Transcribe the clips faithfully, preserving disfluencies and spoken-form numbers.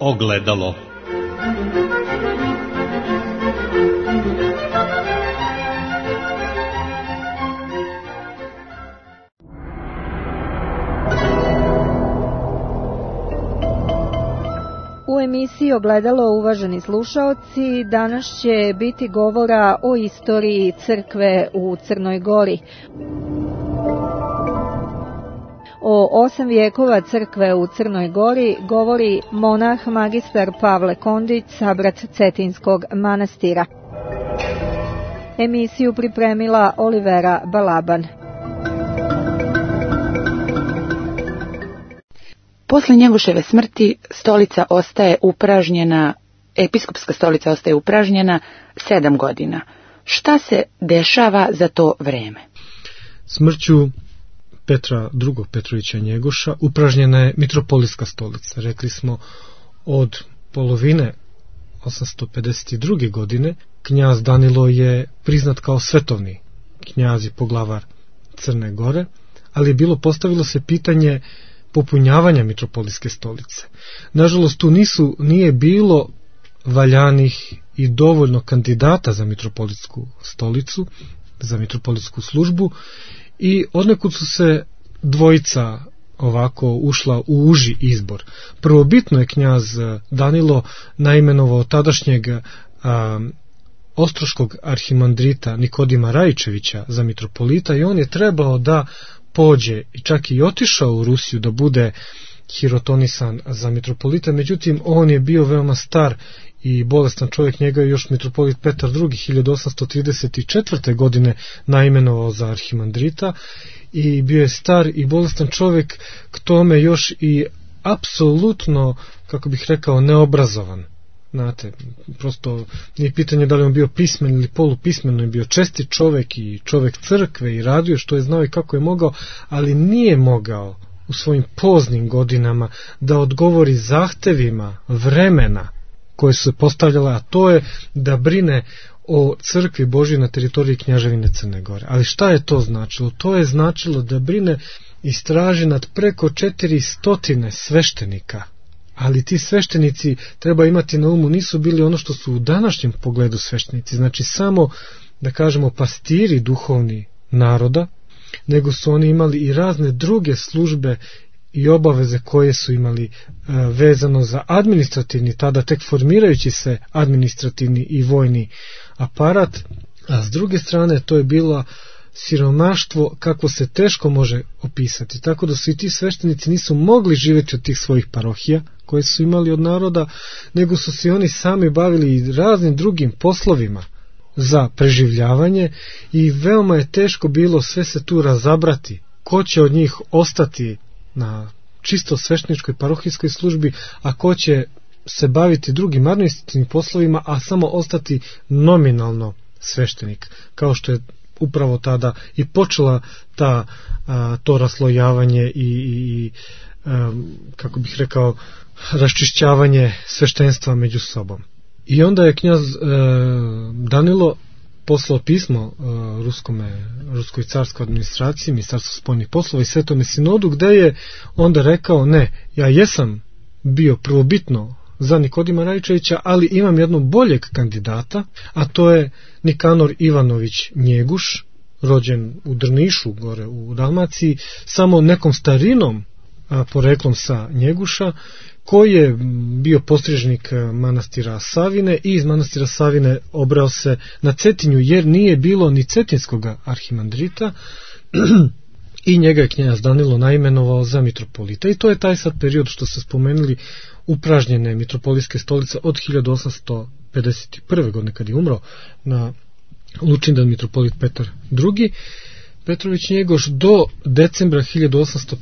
Ogledalo. U emisiji Ogledalo, uvaženi slušaoci, danas će biti govora o istoriji crkve u Crnoj Gori. O osam vijekova crkve u Crnoj Gori govori monah magistar Pavle Kondić, sabrat Cetinskog manastira. Emisiju pripremila Olivera Balaban. Posle Njegoševe smrti stolica ostaje upražnjena, episkopska stolica ostaje upražnjena sedam godina. Šta se dešava za to vreme? Smrću Petra drugog Petrovića Njegoša upražnjena je mitropolitska stolica. Rekli smo od polovine osamsto pedeset druge. godine knjaz Danilo je priznat kao svetovni knjaz i poglavar Crne Gore, ali je bilo postavilo se pitanje popunjavanja mitropolitske stolice. Nažalost, tu nisu, nije bilo valjanih i dovoljno kandidata za mitropolitsku stolicu, za mitropolitsku službu, i odnekud su se dvojica ovako ušla u uži izbor. Prvobitno je knjaz Danilo naimenovao tadašnjeg a, ostroškog arhimandrita Nikodima Rajičevića za mitropolita i on je trebao da pođe i čak i otišao u Rusiju da bude hirotonisan za mitropolita, međutim on je bio veoma star i bolestan čovjek, njega je još mitropolit Petar drugi hiljadu osamsto trideset četvrte. godine naimenovao za arhimandrita i bio je star i bolestan čovjek, k tome još i apsolutno, kako bih rekao, neobrazovan. Znate, prosto nije pitanje da li on bio pismen ili polupismen, on je bio čestit čovjek i čovjek crkve i radio što je znao i kako je mogao, ali nije mogao u svojim poznim godinama da odgovori zahtevima vremena koje su se postavljala, a to je da brine o crkvi Božjoj na teritoriji Kneževine Crne Gore. Ali šta je to značilo? To je značilo da brine i straži nad preko četiri stotine sveštenika. Ali ti sveštenici, treba imati na umu, nisu bili ono što su u današnjem pogledu sveštenici, znači samo, da kažemo, pastiri duhovni naroda, nego su oni imali i razne druge službe i obaveze koje su imali e, vezano za administrativni, tada tek formirajući se administrativni i vojni aparat, a s druge strane to je bilo siromaštvo kako se teško može opisati, tako da su i ti sveštenici nisu mogli živjeti od tih svojih parohija koje su imali od naroda, nego su se oni sami bavili i raznim drugim poslovima za preživljavanje i veoma je teško bilo sve se tu razabrati, ko će od njih ostati na čisto svešteničkoj parohijskoj službi, a ko će se baviti drugim administrativnim poslovima, a samo ostati nominalno sveštenik, kao što je upravo tada i počela ta, a, to raslojavanje i, i a, kako bih rekao, raščišćavanje sveštenstva među sobom. I onda je knjaz e, Danilo poslao pismo e, ruskome, ruskoj carskoj administraciji, ministarstvu spoljnih poslova i Svetome sinodu, gde je onda rekao, ne, ja jesam bio prvobitno za Nikodima Rajičevića, ali imam jednog boljeg kandidata, a to je Nikanor Ivanović Njeguš, rođen u Drnišu, gore u Dalmaciji, samo nekom starinom a, poreklom sa Njeguša, koji je bio postrižnik manastira Savine i iz manastira Savine obrao se na Cetinju, jer nije bilo ni cetinskog arhimandrita i njega je knjaz Danilo naimenovao za mitropolita. I to je taj sad period što ste spomenuli upražnjene mitropolitske stolice od hiljadu osamsto pedeset prve. godine kad je umro na Lučindan mitropolit Petar drugi. Petrović Njegoš do decembra hiljadu osamsto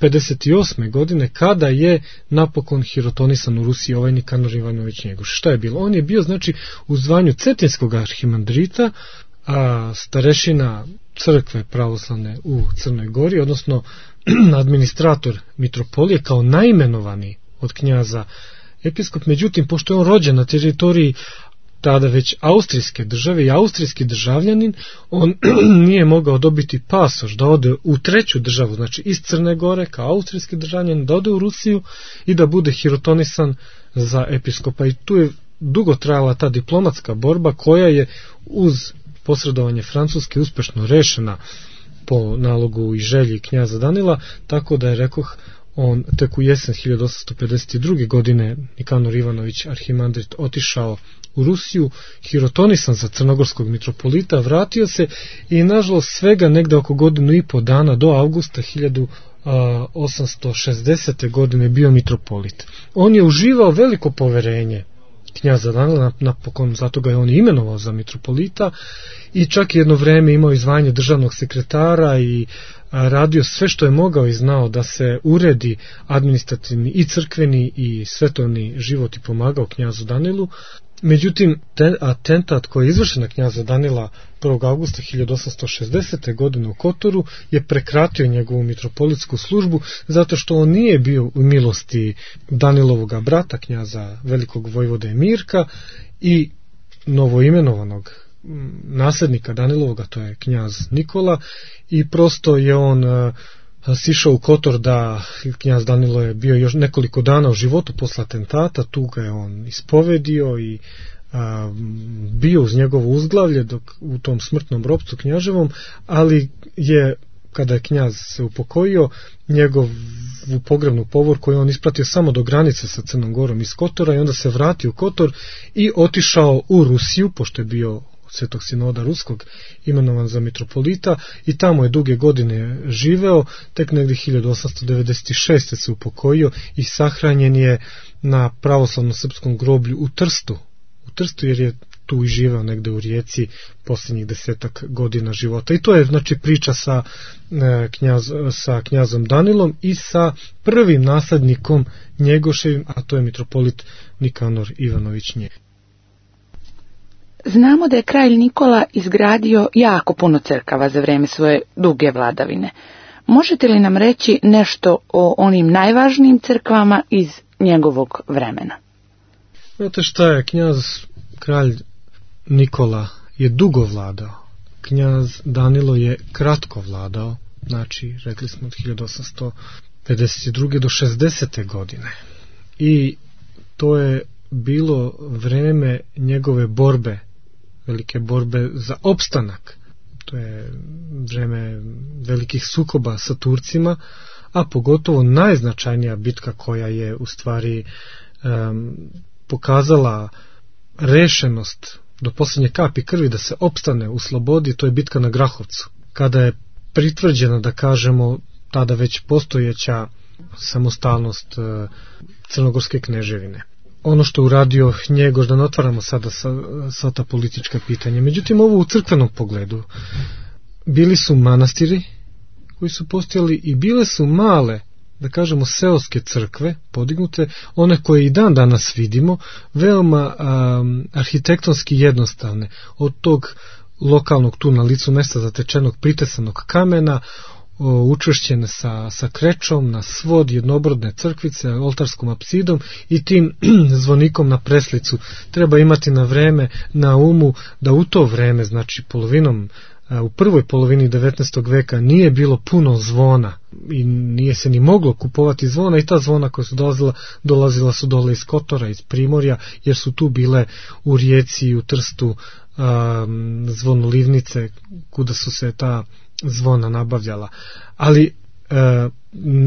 pedeset osme. godine kada je napokon hirotonisan u Rusiji ovaj Nikanor Ivanović Njegoš. Šta je bilo? On je bio znači u zvanju cetinskog arhimandrita, a starešina crkve pravoslavne u Crnoj Gori, odnosno administrator mitropolije kao naimenovani od knjaza episkop. Međutim, pošto je on rođen na teritoriji tada već austrijske države i austrijski državljanin, on nije mogao dobiti pasoš da ode u treću državu, znači iz Crne Gore kao austrijski državljanin, da ode u Rusiju i da bude hirotonisan za episkopa. I tu je dugo trajala ta diplomatska borba koja je uz posredovanje Francuske uspešno rešena po nalogu i želji knjaza Danila, tako da je, rekoh, on tek u jesen hiljadu osamsto pedeset druge. godine Nikanor Ivanović arhimandrit otišao u Rusiju, hirotonisan za crnogorskog mitropolita, vratio se i nažalost svega negde oko godinu i po dana do avgusta hiljadu osamsto šezdesete. godine bio mitropolit. On je uživao veliko poverenje knjaza Danila, napokon zato ga je on imenovao za mitropolita i čak jedno vreme imao i zvanje državnog sekretara i radio sve što je mogao i znao da se uredi administrativni i crkveni i svetovni život i pomagao knjazu Danilu. Međutim, ten, atentat koji je izvršen na knjaza Danila prvog avgusta hiljadu osamsto šezdesete. godine u Kotoru je prekratio njegovu mitropolitsku službu zato što on nije bio u milosti Danilovoga brata, knjaza velikog vojvode Mirka i novoimenovanog naslednika Danilovoga, to je knjaz Nikola, i prosto je on uh, sišao u Kotor da knjaz Danilo je bio još nekoliko dana u životu posle atentata, tu ga je on ispovedio i a, bio uz njegovo uzglavlje dok u tom smrtnom ropcu knjaževom, ali je kada je knjaz se upokojio, njegovu pogrebnu povorku je on ispratio samo do granice sa Crnom Gorom iz Kotora i onda se vratio u Kotor i otišao u Rusiju, pošto je bio Svetog sinoda ruskog imenovan za mitropolita, i tamo je duge godine živeo, tek negdje hiljadu osamsto devedeset šeste. se upokojio i sahranjen je na pravoslavnom srpskom groblju u Trstu. U Trstu jer je tu i živeo negde u Rijeci posljednjih desetak godina života. I to je znači priča sa, e, knjaz, sa knjazom Danilom i sa prvim naslednikom Njegoševim, a to je mitropolit Nikanor Ivanović Njeh. Znamo da je kralj Nikola izgradio jako puno crkava za vreme svoje duge vladavine. Možete li nam reći nešto o onim najvažnijim crkvama iz njegovog vremena? Znate šta je, knjaz kralj Nikola je dugo vladao. Knjaz Danilo je kratko vladao, znači rekli smo od hiljadu osamsto pedeset druge. do šezdesete. godine. I to je bilo vreme njegove borbe, velike borbe za opstanak. To je vreme velikih sukoba sa Turcima, a pogotovo najznačajnija bitka koja je u stvari um, pokazala rešenost do posljednje kapi krvi da se opstane u slobodi, to je bitka na Grahovcu, kada je pritvrđena, da kažemo, tada već postojeća samostalnost uh, Crnogorske kneževine. Ono što uradio Njegoš, da ne otvaramo sada sa, sa ta politička pitanja. Međutim, ovo u crkvenom pogledu. Bili su manastiri koji su postojali i bile su male, da kažemo, seoske crkve podignute, one koje i dan danas vidimo, veoma um, arhitektonski jednostavne, od tog lokalnog tu na licu mesta zatečenog pritesanog kamena, učvršćene sa, sa krečom na svod jednobrodne crkvice, oltarskom apsidom i tim zvonikom na preslicu. Treba imati na vreme, na umu, da u to vreme, znači polovinom, u prvoj polovini devetnaestog veka nije bilo puno zvona i nije se ni moglo kupovati zvona, i ta zvona koja su dolazila, dolazila su dole iz Kotora, iz Primorja, jer su tu bile u Rijeci i u Trstu um, zvonolivnice kuda su se ta zvona nabavljala. Ali e,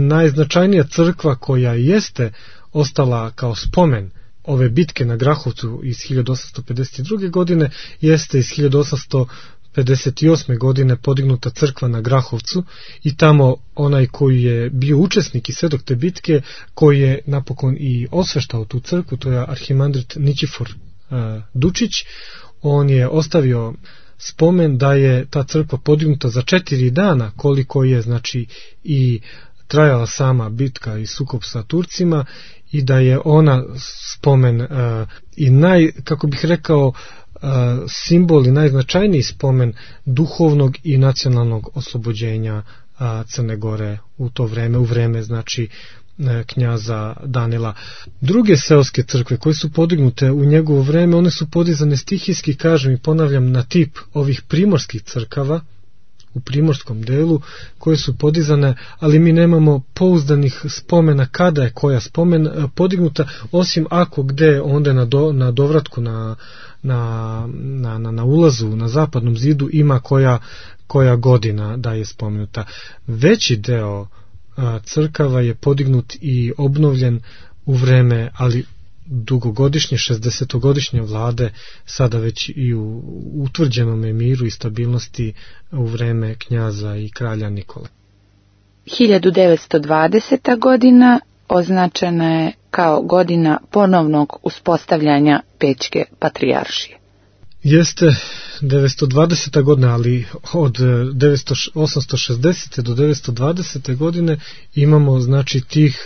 najznačajnija crkva koja jeste ostala kao spomen ove bitke na Grahovcu iz hiljadu osamsto pedeset druge. godine jeste iz hiljadu osamsto pedeset osme. godine podignuta crkva na Grahovcu, i tamo onaj koji je bio učesnik i svedok te bitke, koji je napokon i osveštao tu crkvu, to je arhimandrit Ničifor e, Dučić. On je ostavio spomen da je ta crkva podignuta za četiri dana, koliko je znači i trajala sama bitka i sukob sa Turcima, i da je ona spomen uh, i naj, kako bih rekao, uh, simbol i najznačajniji spomen duhovnog i nacionalnog oslobođenja uh, Crne Gore u to vreme, u vreme znači knjaza Danila. Druge seoske crkve koje su podignute u njegovo vreme, one su podizane stihijski, kažem i ponavljam, na tip ovih primorskih crkava u primorskom delu, koje su podizane, ali mi nemamo pouzdanih spomena kada je koja spomen podignuta, osim ako gde onda na, do, na dovratku na, na, na, na, na ulazu na zapadnom zidu ima koja, koja godina da je spomenuta. Veći deo a, crkava je podignut i obnovljen u vreme, ali dugogodišnje, šezdesetogodišnje vlade, sada već i u utvrđenom miru i stabilnosti u vreme knjaza i kralja Nikole. hiljadu devetsto dvadeseta godina označena je kao godina ponovnog uspostavljanja Pećke patrijaršije. Jeste devetsto dvadeseta godina, ali od osamsto šezdesete do devetsto dvadesete godine imamo znači tih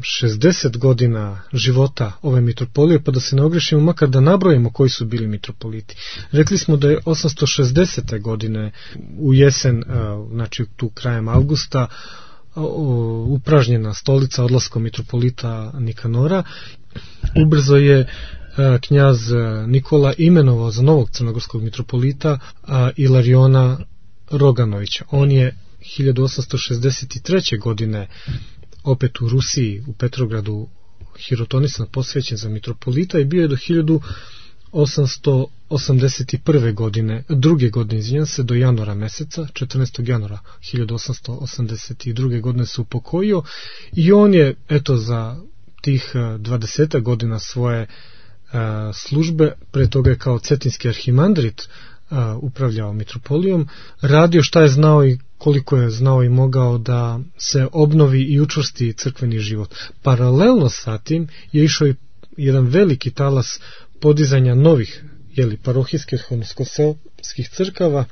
šezdeset godina života ove mitropolije, pa da se ne ogrešimo, makar da nabrojimo koji su bili mitropoliti. Rekli smo da je osamsto šezdesete godine u jesen, znači tu krajem avgusta, upražnjena stolica odlaskom mitropolita Nikanora. Ubrzo je knjaz Nikola imenovao za novog crnogorskog mitropolita Ilariona Roganovića. On je hiljadu osamsto šezdeset treće godine opet u Rusiji, u Petrogradu, hirotonisan, posvećen za mitropolita i bio je do hiljadu osamsto osamdeset prve godine, druge godine, izvinjam se, do januara meseca, četrnaestog januara hiljadu osamsto osamdeset druge godine se upokojio i on je, eto, za tih dvadeset godina svoje službe, pre toga je kao cetinski arhimandrit upravljao mitropolijom, radio šta je znao i koliko je znao i mogao da se obnovi i učvrsti crkveni život. Paralelno sa tim je išao i jedan veliki talas podizanja novih, jeli, parohijskih, odnosno seoskih crkava,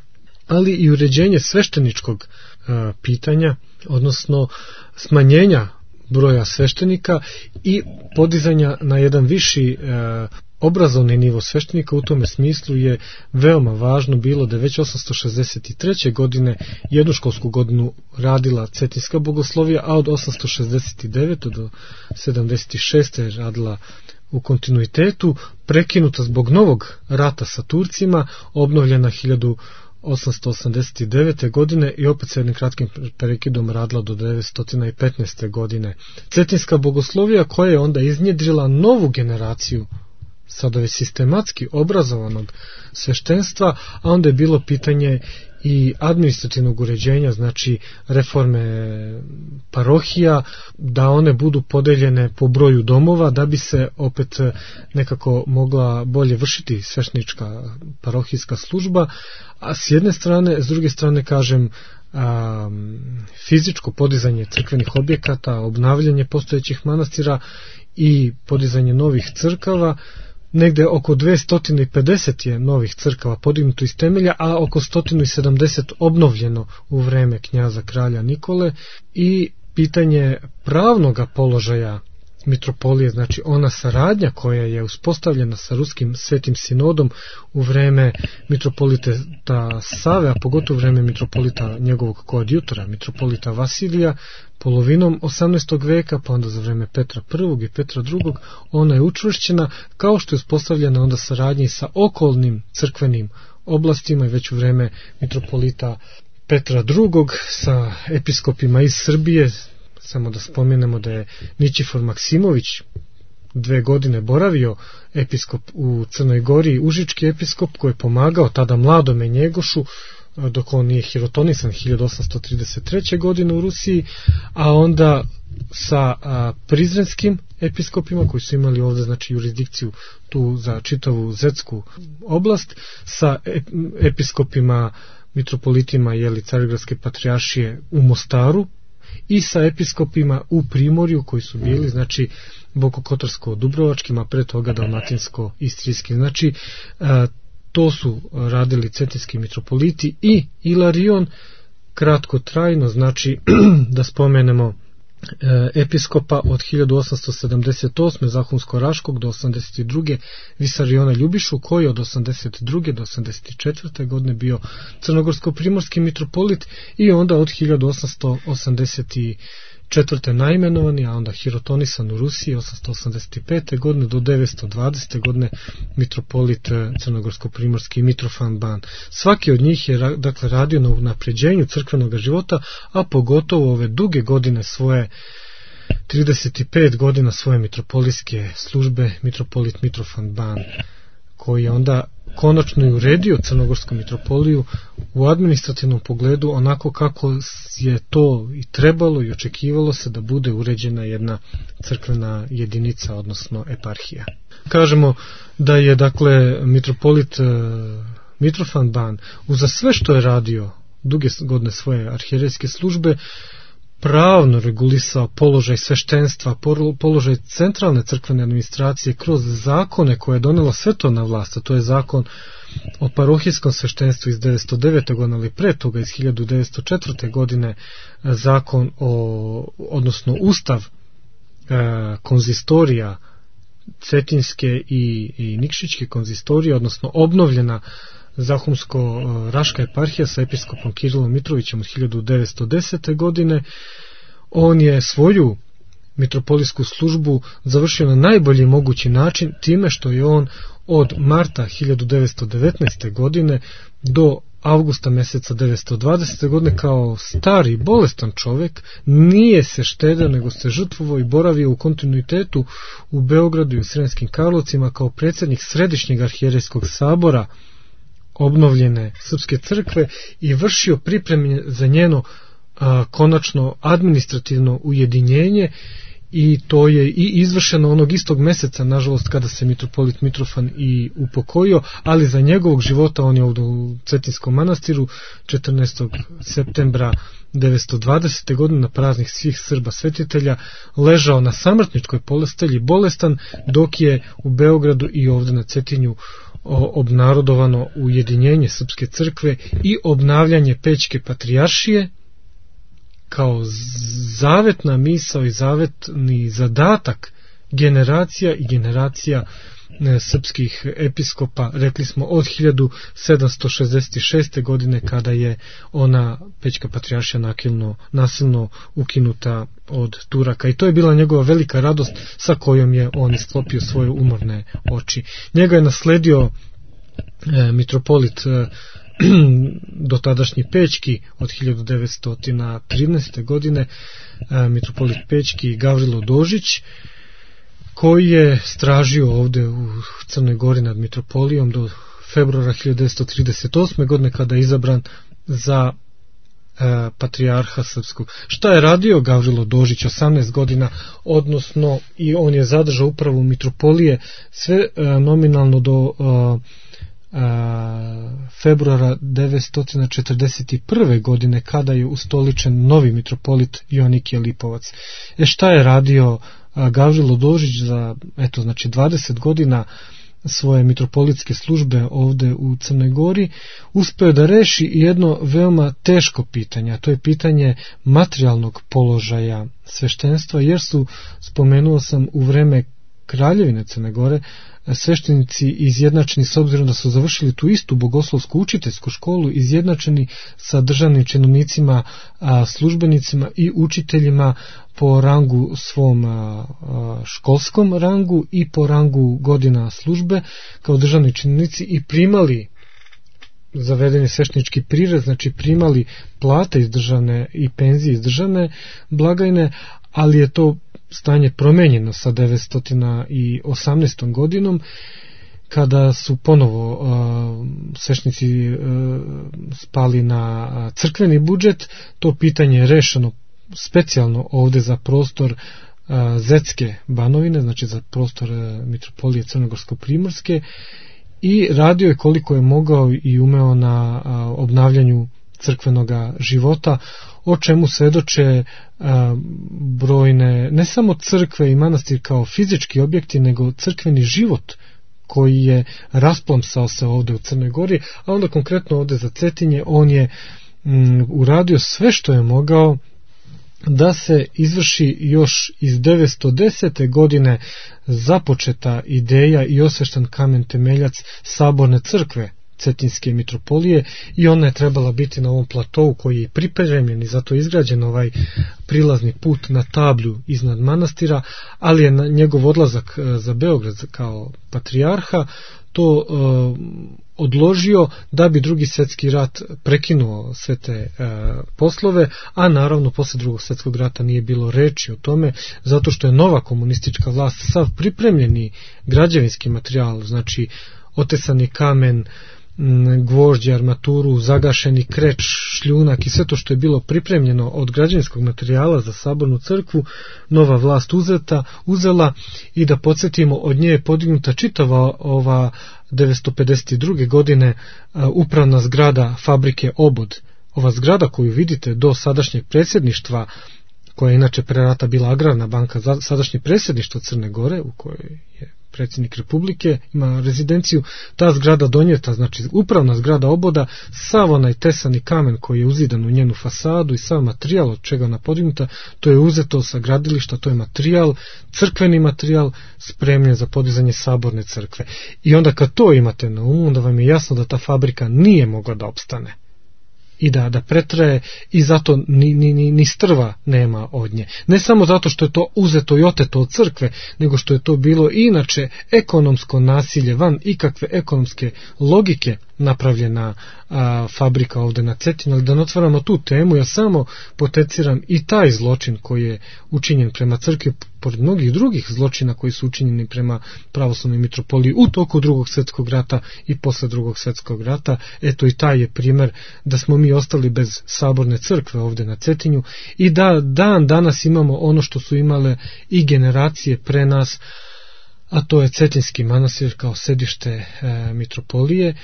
ali i uređenje svešteničkog a, pitanja, odnosno smanjenja broja sveštenika i podizanja na jedan viši e, obrazovni nivo sveštenika. U tome smislu je veoma važno bilo da već osamsto šezdeset treće godine jednu školsku godinu radila cetinska bogoslovija, a od osamsto šezdeset devete do sedamdeset šeste je radila u kontinuitetu, prekinuta zbog novog rata sa Turcima, obnovljena hiljadu osamsto osamdeset devete godine i opet sa jednim kratkim prekidom radila do devetsto petnaeste godine. Cetinska bogoslovija koja je onda iznjedrila novu generaciju sada već sistematski obrazovanog sveštenstva, a onda je bilo pitanje i administrativnog uređenja, znači reforme parohija, da one budu podeljene po broju domova, da bi se opet nekako mogla bolje vršiti sveštenička parohijska služba, a s jedne strane, s druge strane, kažem, a, fizičko podizanje crkvenih objekata, obnavljanje postojećih manastira i podizanje novih crkava. Negde oko dvesta pedeset je novih crkava podignuto iz temelja, a oko sto sedamdeset obnovljeno u vreme knjaza kralja Nikole, i pitanje pravnoga položaja mitropolije, znači ona saradnja koja je uspostavljena sa Ruskim svetim sinodom u vreme mitropolita Save, a pogotovo u vreme mitropolita njegovog koadjutora, mitropolita Vasilija, polovinom osamnaestog veka, pa onda za vreme Petra prvog i Petra drugog, ona je učvršćena, kao što je uspostavljena onda saradnja sa okolnim crkvenim oblastima i već u vreme mitropolita Petra drugog sa episkopima iz Srbije. Samo da spomenemo da je Ničifor Maksimović dve godine boravio episkop u Crnoj Gori, užički episkop koji je pomagao tada mladome Njegošu dok on nije hirotonisan hiljadu osamsto trideset treće godine u Rusiji, a onda sa a, prizrenskim episkopima koji su imali ovdje znači jurisdikciju tu za čitavu zetsku oblast, sa episkopima mitropolitima jeli Carigradske patrijaršije u Mostaru i sa episkopima u Primorju koji su bili znači Bokokotorsko-Dubrovačkim, a pre toga Dalmatinsko-Istrijski. Znači a, to su radili cetinski mitropoliti i Ilarion kratko trajno, znači da spomenemo episkopa od hiljadu osamsto sedamdeset osme Zahumsko-Raškog do osamdeset druge Visariona Ljubišu, koji od osamdeset druge do osamdeset četvrte godine bio crnogorsko-primorski mitropolit, i onda od hiljadu osamsto osamdeset četvrte najmenovani, a onda hirotonisan u Rusiji osamsto osamdeset pete. godine do devetsto dvadesete. godine mitropolit crnogorsko-primorski Mitrofan Ban. Svaki od njih je dakle radio na unapređenju crkvenog života, a pogotovo ove duge godine svoje trideset pet godina svoje mitropolitske službe mitropolit Mitrofan Ban, koji je onda konačno i uredio crnogorsku mitropoliju u administrativnom pogledu onako kako je to i trebalo i očekivalo se da bude uređena jedna crkvena jedinica, odnosno eparhija. Kažemo da je dakle mitropolit Mitrofan Ban uza sve što je radio duge godine svoje arhijerejske službe pravno regulisao položaj sveštenstva, položaj centralne crkvene administracije kroz zakone koje je donela svetovna vlast, a to je zakon o parohijskom sveštenstvu iz devetsto devete. godine, ali pre toga iz hiljadu devetsto četvrte. godine zakon o, odnosno ustav e, konzistorija cetinske i, i nikšićke konzistorije, odnosno obnovljena Zahumsko-raška eparhija sa episkopom Kirilom Mitrovićem od hiljadu devetsto desete. godine. On je svoju mitropolijsku službu završio na najbolji mogući način time što je on od marta hiljadu devetsto devetnaeste. godine do avgusta meseca devetsto dvadesete. godine kao stari bolestan čovjek nije se štedeo nego se žrtvovao i boravio u kontinuitetu u Beogradu i u Sremskim Karlovcima kao predsjednik Središnjeg arhijerejskog sabora obnovljene srpske crkve i vršio pripreme za njeno a, konačno administrativno ujedinjenje, i to je i izvršeno onog istog meseca, nažalost, kada se mitropolit Mitrofan i upokojio, ali za njegovog života on je ovdje u Cetinskom manastiru četrnaestog septembra devetsto dvadesete. godine na praznik svih Srba svetitelja ležao na samrtničkoj postelji bolestan, dok je u Beogradu i ovdje na Cetinju obnarodovano ujedinjenje srpske crkve i obnavljanje Pećke patrijaršije kao zavetna misao i zavetni zadatak generacija i generacija srpskih episkopa, rekli smo od hiljadu sedamsto šezdeset šeste. godine kada je ona Pećka patrijaršija nasilno, nasilno ukinuta od Turaka, i to je bila njegova velika radost sa kojom je on isklopio svoje umorne oči. Njega je nasledio e, mitropolit e, dotadašnji Pećki od hiljadu devetsto trinaeste. godine, e, mitropolit Pećki Gavrilo Dožić, koji je stražio ovdje u Crnoj Gori nad mitropolijom do februara hiljadu devetsto trideset osme. godine kada je izabran za e, patrijarha srpskog. Šta je radio Gavrilo Dožić osamnaest godina, odnosno i on je zadržao upravu mitropolije sve e, nominalno do e, februara devetsto četrdeset prve. godine kada je ustoličen novi mitropolit Jonikije Lipovac. E šta je radio Gavrilo Dožić za eto znači dvadeset godina svoje mitropolitske službe ovdje u Crnoj Gori? Uspeo da reši jedno veoma teško pitanje, a to je pitanje materijalnog položaja sveštenstva, jer su, spomenuo sam, u vreme Kraljevine Crne Gore sveštenici izjednačeni, s obzirom da su završili tu istu bogoslovsku učiteljsku školu, izjednačeni sa državnim činovnicima, službenicima i učiteljima po rangu svom školskom rangu i po rangu godina službe kao državni činovnici, i primali zavedeni sveštenički prirez, znači primali plate iz državne i penzije iz državne blagajne, ali je to stanje promenjeno sa devetsto osamnaestom. godinom, kada su ponovo uh, sveštenici uh, spali na uh, crkveni budžet. To pitanje je rešeno specijalno ovdje za prostor uh, Zetske banovine, znači za prostor uh, mitropolije Crnogorsko-primorske, i radio je koliko je mogao i umeo na uh, obnavljanju crkvenog života, o čemu svedoče a, brojne, ne samo crkve i manastir kao fizički objekti, nego crkveni život koji je rasplomsao se ovdje u Crnoj Gori, a onda konkretno ovdje za Cetinje on je m, uradio sve što je mogao da se izvrši još iz devetsto desete. godine započeta ideja i osveštan kamen temeljac saborne crkve Cetinske mitropolije i ona je trebala biti na ovom platovu koji je pripremljen i zato je izgrađen ovaj prilazni put na tablju iznad manastira, ali je na njegov odlazak za Beograd kao patrijarha to uh, odložio da bi drugi svjetski rat prekinuo sve te uh, poslove, a naravno posle drugog svjetskog rata nije bilo reči o tome, zato što je nova komunistička vlast sav pripremljeni građevinski materijal, znači otesani kamen, gvožđe, armaturu, zagašeni kreč, šljunak i sve to što je bilo pripremljeno od građevinskog materijala za sabornu crkvu, nova vlast uzeta, uzela i da podsjetimo, od nje je podignuta čitava ova devetsto pedeset druge godine upravna zgrada fabrike Obod. Ova zgrada koju vidite do sadašnjeg predsjedništva, koja je inače pre rata bila agrarna banka, sadašnje predsjedništvo Crne Gore, u kojoj je predsjednik Republike, ima rezidenciju, ta zgrada donijeta, znači upravna zgrada Oboda, sav onaj tesani kamen koji je uzidan u njenu fasadu i sav materijal od čega ona podignuta, to je uzeto sa gradilišta, to je materijal, crkveni materijal spremljen za podizanje saborne crkve. I onda kad to imate na umu, onda vam je jasno da ta fabrika nije mogla da opstane i da, da pretraje i zato ni, ni, ni, ni strva nema od nje. Ne samo zato što je to uzeto i oteto od crkve, nego što je to bilo inače ekonomsko nasilje van ikakve ekonomske logike napravljena a, fabrika ovde na Cetinju. Ali da ne otvaramo tu temu, ja samo poteciram i taj zločin koji je učinjen prema crkvi, pored mnogih drugih zločina koji su učinjeni prema pravoslavnoj mitropoliji u toku drugog svjetskog rata i posle drugog svjetskog rata. Eto i taj je primjer da smo mi ostali bez saborne crkve ovde na Cetinju i da dan danas imamo ono što su imale i generacije pre nas, a to je Cetinski manastir kao sedište e, mitropolije.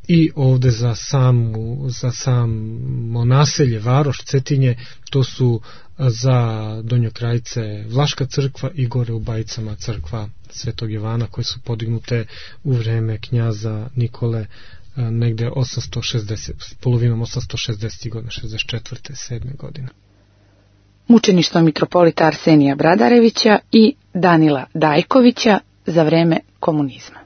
I ovde za samu, za samo naselje, varoš Cetinje, to su za Donjokrajce Vlaška crkva i gore u Bajicama crkva Svetog Jovana, koje su podignute u vreme knjaza Nikole negde osamsto šezdeset, polovinom osamsto šezdesetih godina, šezdeset četvrte sedme godine. Mučeništvo mitropolita Arsenija Bradarevića i Danila Dajkovića za vreme komunizma.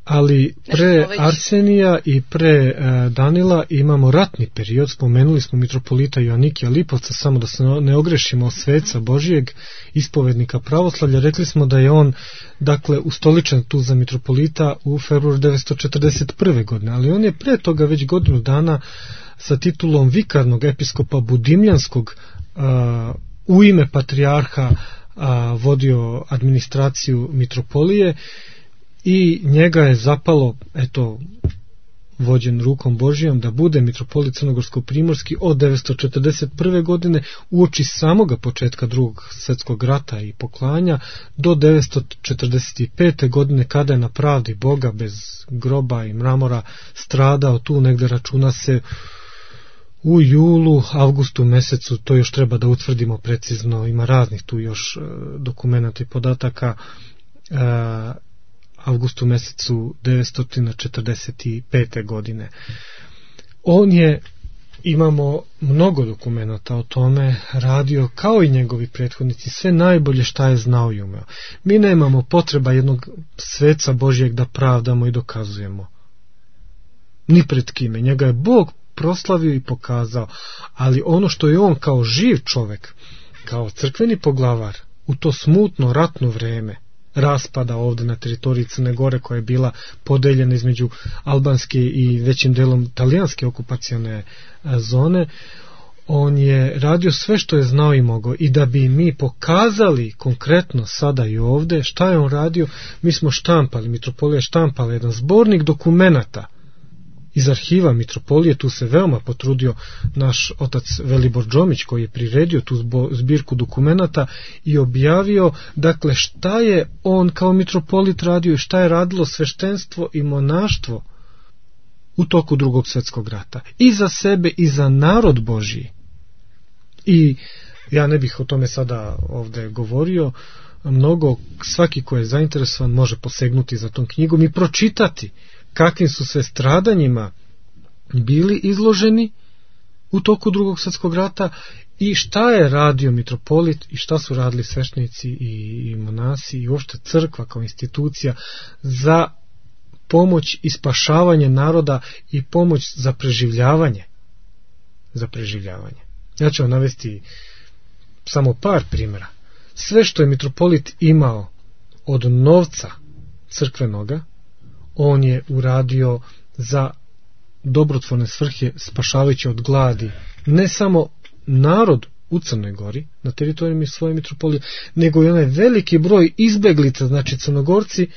Ali pre Arsenija i pre e, Danila imamo ratni period, spomenuli smo mitropolita Joanikija Lipovca, samo da se ne ogrešimo o sveca Božijeg, ispovednika pravoslavlja. Rekli smo da je on, dakle, ustoličen tu za mitropolita u februaru devetsto četrdeset prve godine, ali on je pre toga već godinu dana sa titulom vikarnog episkopa Budimljanskog a, u ime patrijarha a, vodio administraciju mitropolije i njega je zapalo, eto, vođen rukom Božijom, da bude mitropolit Crnogorsko-primorski od devetsto četrdeset prve godine uoči samoga početka drugog svjetskog rata i poklanja do devetsto četrdeset pete godine, kada je na pravdi Boga bez groba i mramora stradao tu negde, računa se u julu, avgustu mesecu, to još treba da utvrdimo precizno, ima raznih tu još dokumenata i podataka, avgustu mesecu devetsto četrdeset pete godine. On je, imamo mnogo dokumenata o tome, radio kao i njegovi prethodnici sve najbolje šta je znao i umeo. Mi nemamo potreba jednog sveca Božijeg da pravdamo i dokazujemo. Ni pred kime. Njega je Bog proslavio i pokazao, ali ono što je on kao živ čovek, kao crkveni poglavar u to smutno ratno vreme raspada ovde na teritoriji Crne Gore, koja je bila podeljena između albanske i većim delom talijanske okupacione zone, on je radio sve što je znao i mogao. I da bi mi pokazali konkretno sada i ovde šta je on radio, mi smo štampali, mitropolija štampala jedan zbornik dokumenata iz arhiva mitropolije. Tu se veoma potrudio naš otac Velibor Džomić, koji je priredio tu zbirku dokumenata i objavio, dakle, šta je on kao mitropolit radio i šta je radilo sveštenstvo i monaštvo u toku drugog svjetskog rata. I za sebe i za narod Božiji. I ja ne bih o tome sada ovde govorio mnogo, svaki ko je zainteresovan može posegnuti za tom knjigom i pročitati kakvim su sve stradanjima bili izloženi u toku drugog svjetskog rata i šta je radio mitropolit i šta su radili sveštenici i monasi i uopšte crkva kao institucija za pomoć i spašavanje naroda i pomoć za preživljavanje. Za preživljavanje. Ja ću vam navesti samo par primjera. Sve što je mitropolit imao od novca crkvenoga, on je uradio za dobrotvorne svrhe, spašavajući od gladi ne samo narod u Crnoj Gori, na teritorijima svoje mitropolije, nego i onaj veliki broj izbeglica, znači Crnogorci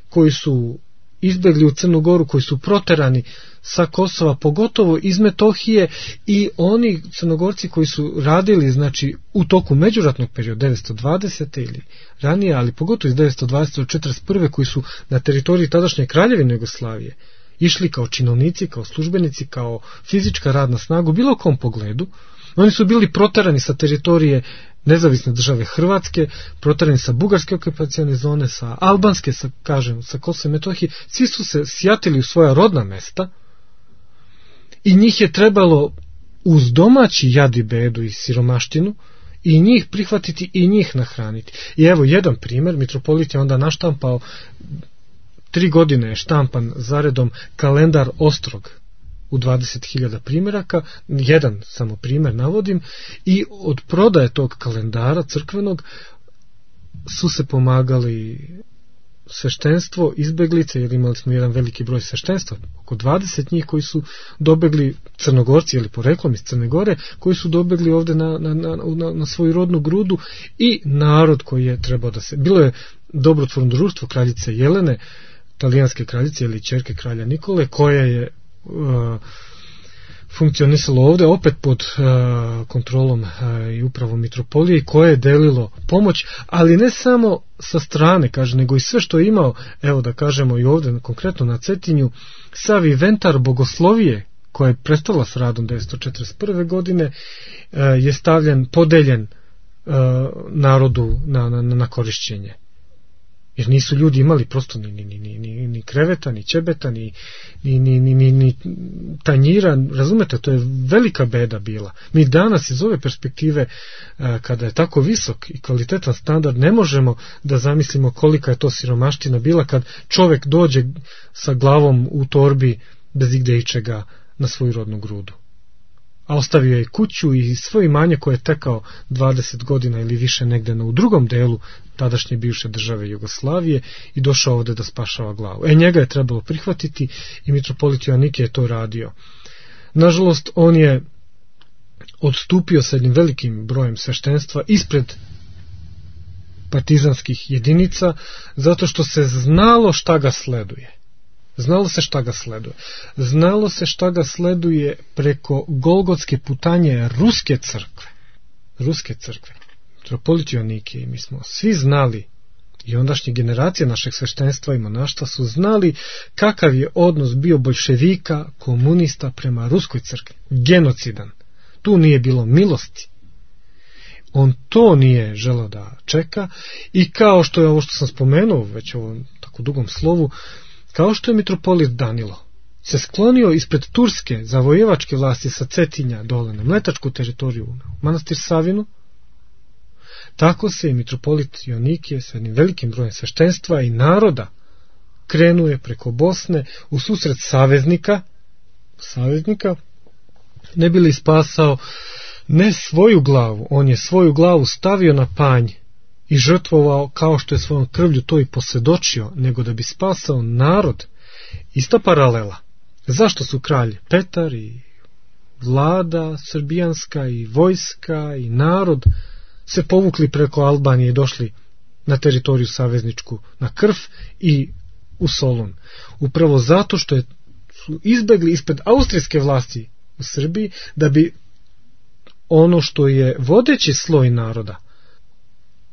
koji su izbegli u Crnu Goru, koji su proterani sa Kosova, pogotovo iz Metohije, i oni Crnogorci koji su radili, znači, u toku međuratnog perioda devetsto dvadesete ili ranije, ali pogotovo iz devetsto dvadesete do četrdeset prve koji su na teritoriji tadašnje Kraljevine Jugoslavije išli kao činovnici, kao službenici, kao fizička radna snaga u bilo kom pogledu. Oni su bili proterani sa teritorije nezavisne države Hrvatske, proterani sa bugarske okupacione zone, sa albanske, sa, kažem, sa Kosova i Metohije. Svi su se sjatili u svoja rodna mesta i njih je trebalo uz domaći jad i bedu i siromaštinu i njih prihvatiti i njih nahraniti. I evo jedan primjer, mitropolit je onda naštampao, tri godine je štampan zaredom kalendar Ostrog u dvadeset hiljada primjeraka, jedan samo primjer navodim, i od prodaje tog kalendara crkvenog su se pomagali sveštenstvo, izbeglice, jer imali smo jedan veliki broj sveštenstva, oko dvadeset njih koji su dobegli, Crnogorci ili poreklom iz Crne Gore, koji su dobegli ovdje na, na, na, na, na svoju rodnu grudu, i narod koji je trebao da se... Bilo je dobrotvorno društvo kraljice Jelene, talijanske kraljice ili ćerke kralja Nikole, koja je uh, funkcionisalo ovdje opet pod uh, kontrolom uh, i upravom mitropolije, i koje je delilo pomoć, ali ne samo sa strane, kaže, nego i sve što je imao, evo da kažemo i ovdje konkretno na Cetinju, sav inventar bogoslovije koja je prestala s radom devetsto četrdeset prve godine uh, je stavljen, podeljen uh, narodu na, na, na korišćenje. Jer nisu ljudi imali prosto ni, ni, ni, ni, ni kreveta, ni ćebeta, ni, ni, ni, ni, ni, ni tanjira, razumete, to je velika beda bila. Mi danas iz ove perspektive, kada je tako visok i kvalitetan standard, ne možemo da zamislimo kolika je to siromaština bila kad čovjek dođe sa glavom u torbi bez igde ičega na svoju rodnu grudu. A ostavio je kuću i svoje imanje koje je tekao dvadeset godina ili više negde na u drugom delu tadašnje bivše države Jugoslavije i došao ovdje da spašava glavu. E, njega je trebalo prihvatiti i mitropolit Joannikije je to radio. Nažalost, on je odstupio sa jednim velikim brojem sveštenstva ispred partizanskih jedinica, zato što se znalo šta ga sleduje. Znalo se šta ga sleduje. Znalo se šta ga sleduje preko Golgotske putanje Ruske crkve. Ruske crkve. Mitropolit Joannikije, mi smo svi znali, i ondašnje generacije našeg sveštenstva i monaštva su znali kakav je odnos bio boljševika, komunista prema Ruskoj crkvi. Genocidan. Tu nije bilo milosti. On to nije želeo da čeka, i kao što je ovo što sam spomenuo već u ovom tako dugom slovu, kao što je mitropolit Danilo se sklonio ispred turske zavojevačke vlasti sa Cetinja dole na mletačku teritoriju u manastir Savinu, tako se i mitropolit Joannikije sa jednim velikim brojem sveštenstva i naroda krenuje preko Bosne u susret saveznika, saveznika, ne bi li spasao ne svoju glavu, on je svoju glavu stavio na panj i žrtvovao kao što je svojom krvlju to i posvjedočio, nego da bi spasao narod. Ista paralela. Zašto su kralj Petar i vlada srbijanska i vojska i narod se povukli preko Albanije i došli na teritoriju savezničku, na Krf i u Solun? Upravo zato što je, su izbegli ispred austrijske vlasti u Srbiji, da bi ono što je vodeći sloj naroda,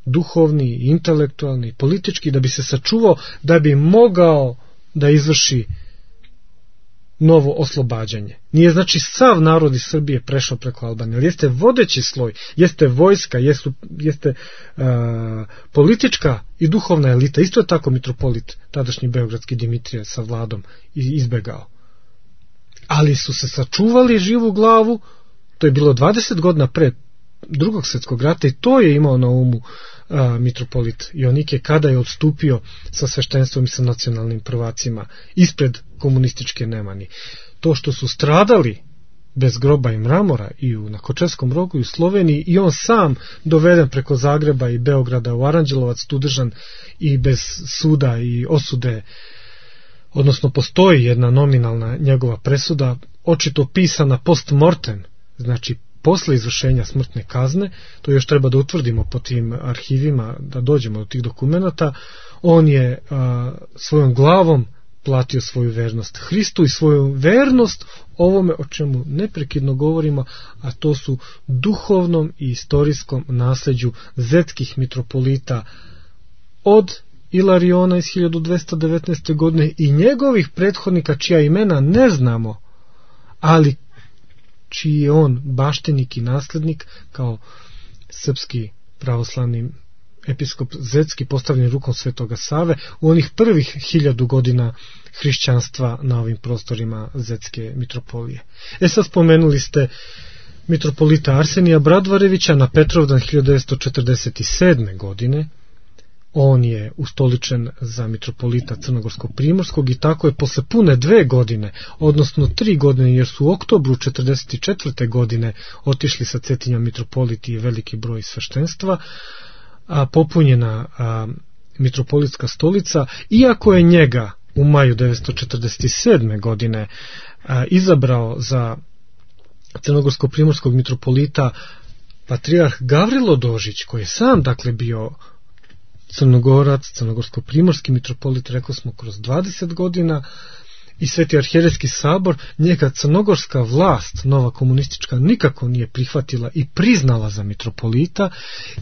duhovni, intelektualni, politički, da bi se sačuvao, da bi mogao da izvrši novo oslobađanje. Nije znači sav narod iz Srbije prešao preko Albanije, ali jeste vodeći sloj, jeste vojska, jesu, jeste uh, politička i duhovna elita. Isto je tako mitropolit tadašnji beogradski Dimitrije sa vladom izbegao. Ali su se sačuvali živu glavu, to je bilo dvadeset godina pre Drugog svjetskog rata, i to je imao na umu a, mitropolit Joannikije kada je odstupio sa sveštenstvom i sa nacionalnim prvacima ispred komunističke Nemani. To što su stradali bez groba i mramora i u, na Kočevskom rogu i u Sloveniji, i on sam doveden preko Zagreba i Beograda u Aranđelovac, tu držan i bez suda i osude, odnosno postoji jedna nominalna njegova presuda, očito pisana post mortem, znači posle izvršenja smrtne kazne, to još treba da utvrdimo po tim arhivima, da dođemo do tih dokumenata. On je a, svojom glavom platio svoju vernost Hristu i svoju vernost ovome o čemu neprekidno govorimo, a to su duhovnom i istorijskom nasleđu zetskih mitropolita od Ilariona iz hiljadu dvesta devetnaeste. godine i njegovih prethodnika čija imena ne znamo, ali čiji je on baštenik i naslednik kao srpski pravoslavni episkop zetski postavljen rukom Svetoga Save u onih prvih hiljadu godina hrišćanstva na ovim prostorima zetske mitropolije. E sad spomenuli ste mitropolita Arsenija Bradvarevića na Petrovdan hiljadu devetsto četrdeset sedme. godine. On je ustoličen za mitropolita Crnogorsko-primorskog i tako je posle pune dve godine, odnosno tri godine, jer su u oktobru četrdeset četvrte. godine otišli sa Cetinja mitropoliti i veliki broj sveštenstva, a popunjena a, mitropolitska stolica, iako je njega u maju devetsto četrdeset sedme. godine a, izabrao za Crnogorsko-primorskog mitropolita patrijarh Gavrilo Dožić, koji je sam dakle bio Crnogorac, Crnogorsko-primorski mitropolit, rekli smo, kroz dvadeset godina, i Sveti arhijerejski sabor, njega crnogorska vlast, nova komunistička, nikako nije prihvatila i priznala za mitropolita,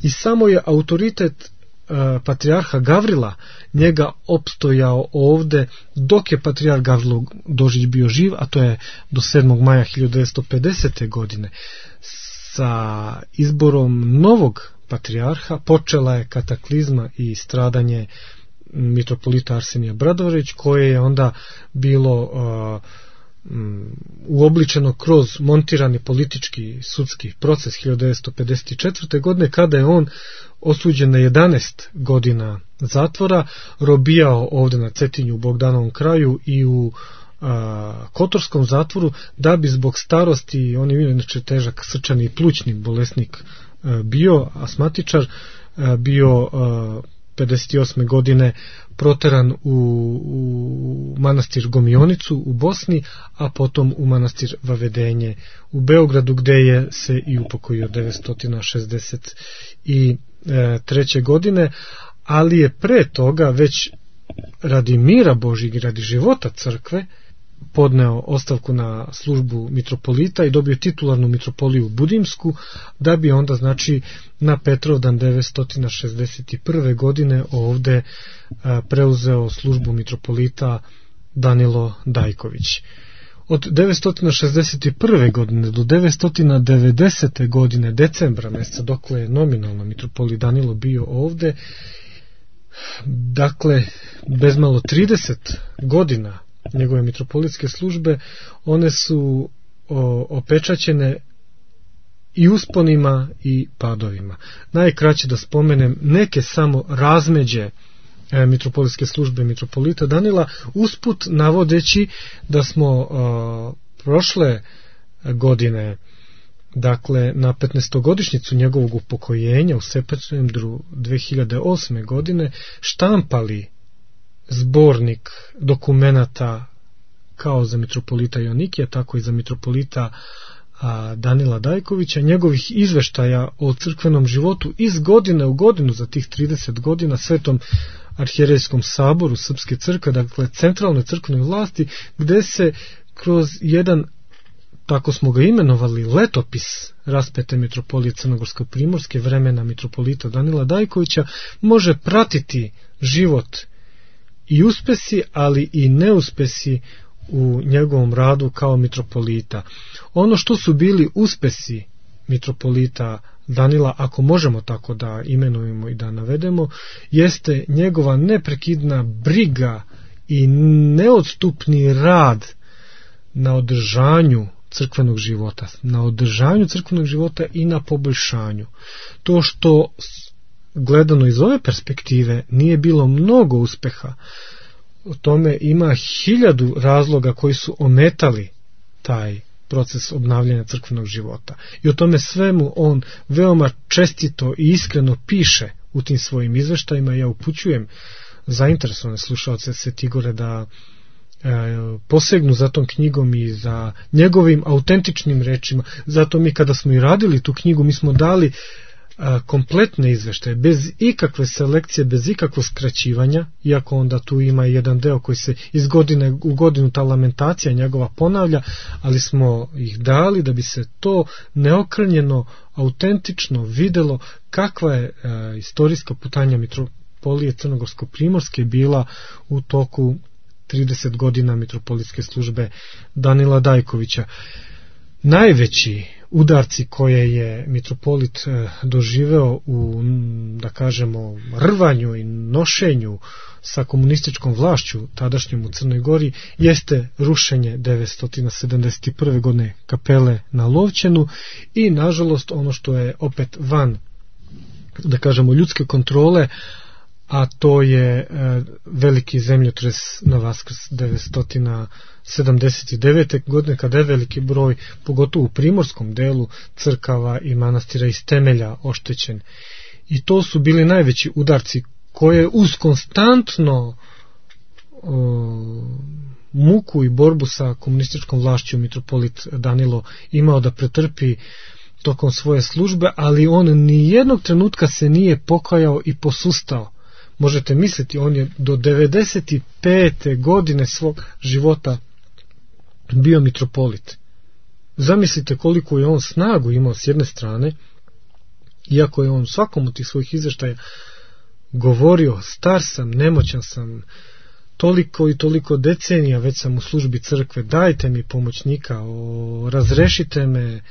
i samo je autoritet uh, patrijarha Gavrila njega opstojao ovde dok je patrijarh Gavrilo Dožić bio živ, a to je do sedmog maja hiljadu devetsto pedesete. godine. Sa izborom novog patrijarha počela je kataklizma i stradanje mitropolita Arsenija Bradvarević, koje je onda bilo uh, um, uobličeno kroz montirani politički sudski proces hiljadu devetsto pedeset četvrte. godine, kada je on osuđen na jedanaest godina zatvora, robijao ovde na Cetinju u Bogdanovom kraju i u a, Kotorskom zatvoru, da bi zbog starosti, on je inače težak srčani i plućni bolesnik a, bio, asmatičar, a, bio a, pedeset osme. godine proteran u, u manastir Gomionicu u Bosni, a potom u manastir Vavedenje u Beogradu, gde je se i upokojio devetsto šezdeset treće. godine, ali je pre toga već radi mira Božjeg i radi života crkve podneo ostavku na službu mitropolita i dobio titularnu mitropoliju Budimsku, da bi onda, znači, na Petrovdan devetsto šezdeset prve. godine ovde a, preuzeo službu mitropolita Danilo Dajković. Od devetsto šezdeset prve. godine do devetsto devedesete. godine, decembra meseca, dokle je nominalno mitropolit Danilo bio ovde, dakle, bezmalo trideset godina njegove mitropolitske službe, one su o, opečaćene i usponima i padovima. Najkraće da spomenem neke samo razmeđe e, mitropolitske službe mitropolita Danila, usput navodeći da smo o, prošle godine, dakle na petnaestogodišnjicu njegovog upokojenja u septembru dve hiljade osme. godine štampali zbornik dokumenata kao za mitropolita Joannikija, tako i za mitropolita a, Danila Dajkovića, njegovih izveštaja o crkvenom životu iz godine u godinu za tih trideset godina Svetom arhijerejskom saboru Srpske crkve, dakle centralnoj crkvenoj vlasti, gde se kroz jedan, tako smo ga imenovali, letopis raspete mitropolije Crnogorsko-primorske vremena mitropolita Danila Dajkovića, može pratiti život i uspesi, ali i neuspesi u njegovom radu kao mitropolita. Ono što su bili uspesi mitropolita Danila, ako možemo tako da imenujemo i da navedemo, jeste njegova neprekidna briga i neodstupni rad na održanju crkvenog života, na održanju crkvenog života i na poboljšanju. To što gledano iz ove perspektive nije bilo mnogo uspeha. O tome ima hiljadu razloga koji su ometali taj proces obnavljanja crkvenog života. I o tome svemu on veoma čestito i iskreno piše u tim svojim izveštajima. Ja upućujem zainteresovane slušaoce Svetigore da e, posegnu za tom knjigom i za njegovim autentičnim rečima. Zato mi kada smo i radili tu knjigu, mi smo dali a, kompletne izveštaje, bez ikakve selekcije, bez ikakvog skraćivanja, iako onda tu ima jedan deo koji se iz godine u godinu ta lamentacija njegova ponavlja, ali smo ih dali da bi se to neokrnjeno, autentično videlo kakva je a, istorijska putanja mitropolije Crnogorsko-primorske bila u toku trideset godina mitropolitske službe Danila Dajkovića. Najveći udarci koje je mitropolit doživeo u, da kažemo, rvanju i nošenju sa komunističkom vlašću tadašnjom u Crnoj Gori jeste rušenje devetsto sedamdeset prve. godine kapele na Lovćenu i nažalost ono što je opet van, da kažemo, ljudske kontrole, a to je e, veliki zemljotres na Vaskrs devetsto sedamdeset devete. godine, kada je veliki broj, pogotovo u primorskom delu, crkava i manastira iz temelja oštećen. I to su bili najveći udarci koje uz konstantno o, muku i borbu sa komunističkom vlašću mitropolit Danilo imao da pretrpi tokom svoje službe, ali on ni jednog trenutka se nije pokajao i posustao. Možete misliti, on je do devedeset pete. godine svog života bio mitropolit. Zamislite koliko je on snagu imao s jedne strane, iako je on svakom od tih svojih izveštaja govorio: star sam, nemoćan sam, toliko i toliko decenija već sam u službi crkve, dajte mi pomoćnika, o, razrešite me,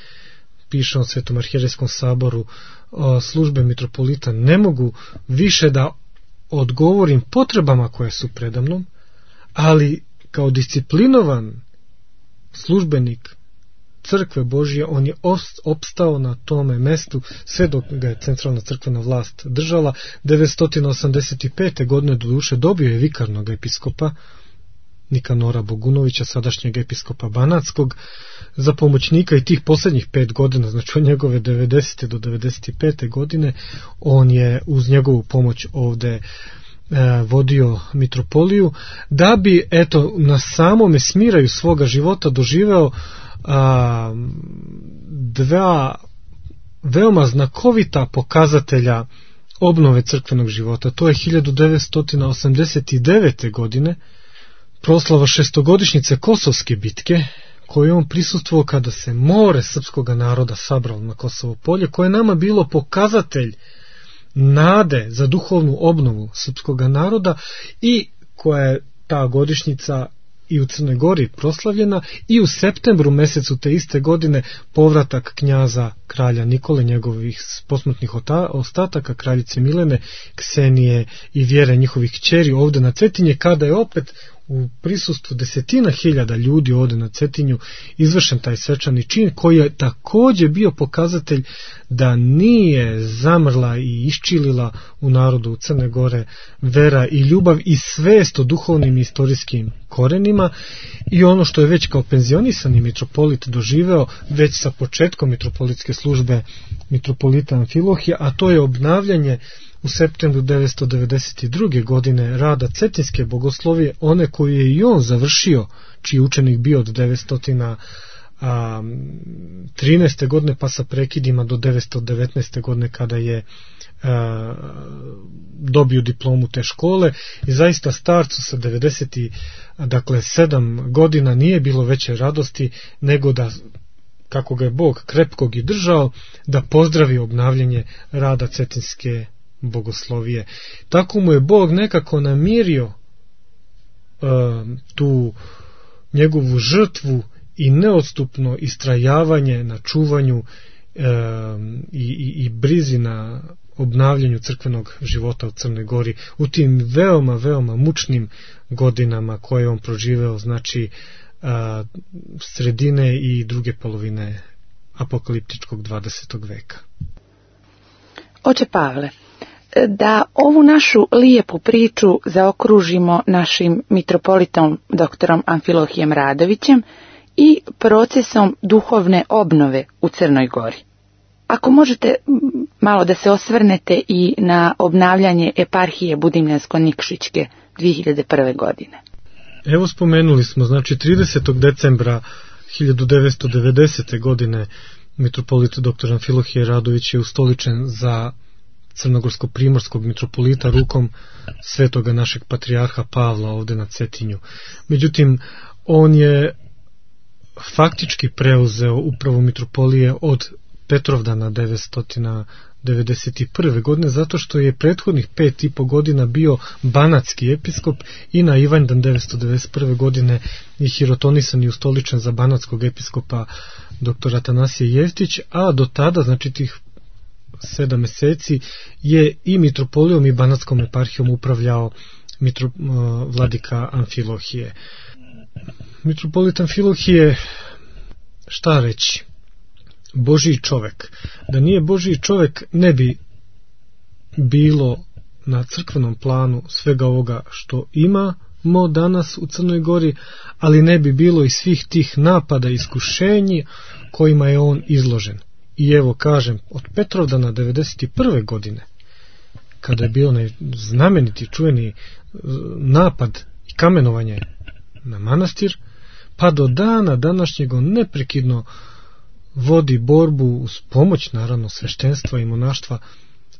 piše on Svetom arhijerejskom saboru, o, službe mitropolita, ne mogu više da odgovorim potrebama koje su predamnom, ali kao disciplinovan službenik crkve Božje on je opstao na tome mestu sve dok ga je centralna crkvena vlast držala. devetsto osamdeset pete. godine do duše dobio je vikarnog episkopa Nikanora Bogunovića, sadašnjeg episkopa Banatskog, za pomoćnika i tih posljednjih pet godina, znači od njegove devedesete. do devedeset pete. godine, on je uz njegovu pomoć ovde e, vodio mitropoliju, da bi, eto, na samome smiraju svoga života doživeo a, dva veoma znakovita pokazatelja obnove crkvenog života. To je hiljadu devetsto osamdeset devete. godine proslava šestogodišnjice Kosovske bitke, koju je on prisustvovao kada se more srpskog naroda sabralo na Kosovo polje, koje je nama bilo pokazatelj nade za duhovnu obnovu srpskog naroda i koja je ta godišnjica i u Crnoj Gori proslavljena, i u septembru mesecu te iste godine povratak knjaza kralja Nikole, njegovih posmrtnih ostataka, kraljice Milene, Ksenije i Vjere, njihovih kćeri, ovde na Cetinje, kada je opet u prisustvu desetina hiljada ljudi ovde na Cetinju izvršen taj svečani čin, koji je takođe bio pokazatelj da nije zamrla i iščilila u narodu u Crne Gore vera i ljubav i svest o duhovnim i istorijskim korenima. I ono što je već kao penzionisani mitropolit doživeo već sa početkom mitropolitske službe mitropolita Amfilohija, a to je obnavljanje u septembru devetsto devedeset druge. godine rada Cetinske bogoslovije, one koju je i on završio, čiji učenik bio od devetsto trinaeste. godine pa sa prekidima do devetsto devetnaeste. godine kada je a, dobio diplomu te škole. I zaista starcu sa devedeset sedam godina nije bilo veće radosti nego da, kako ga je Bog krepkog i držao, da pozdravi obnavljanje rada Cetinske bogoslovije. Tako mu je Bog nekako namirio uh, tu njegovu žrtvu i neodstupno istrajavanje na čuvanju uh, i, i, i brizi na obnavljanju crkvenog života u Crnoj Gori u tim veoma, veoma mučnim godinama koje on proživeo, znači uh, sredine i druge polovine apokaliptičkog dvadesetog veka. Oče Pavle, da ovu našu lijepu priču zaokružimo našim mitropolitom doktorom Amfilohijem Radovićem i procesom duhovne obnove u Crnoj Gori. Ako možete malo da se osvrnete i na obnavljanje eparhije Budimljansko-Nikšićke dvije hiljade prve. godine. Evo spomenuli smo, znači tridesetog decembra hiljadu devetsto devedesete. godine mitropolit doktor Amfilohije Radović je ustoličen za crnogorsko-primorskog mitropolita rukom svetoga našeg patrijarha Pavla ovde na Cetinju. Međutim, on je faktički preuzeo upravu mitropolije od Petrovdana devetsto devedeset prve. godine, zato što je prethodnih pet i po godina bio banatski episkop i na Ivanjdan devetsto devedeset prve. godine je hirotonisan i ustoličen za banatskog episkopa doktor Atanasije Jeftić, a do tada, znači tih sedam meseci, je i mitropolijom i banatskom eparhijom upravljao mitro, vladika Amfilohije. Mitropolit Amfilohije, šta reći? Božji čovek. Da nije Božji čovek, ne bi bilo na crkvenom planu svega ovoga što imamo danas u Crnoj Gori, ali ne bi bilo i svih tih napada i iskušenja kojima je on izložen. I evo kažem, od Petrovdana devedeset prve. godine, kada je bio onaj znameniti, čuveni napad i kamenovanje na manastir, pa do dana današnjeg on neprekidno vodi borbu uz pomoć, naravno, sveštenstva i monaštva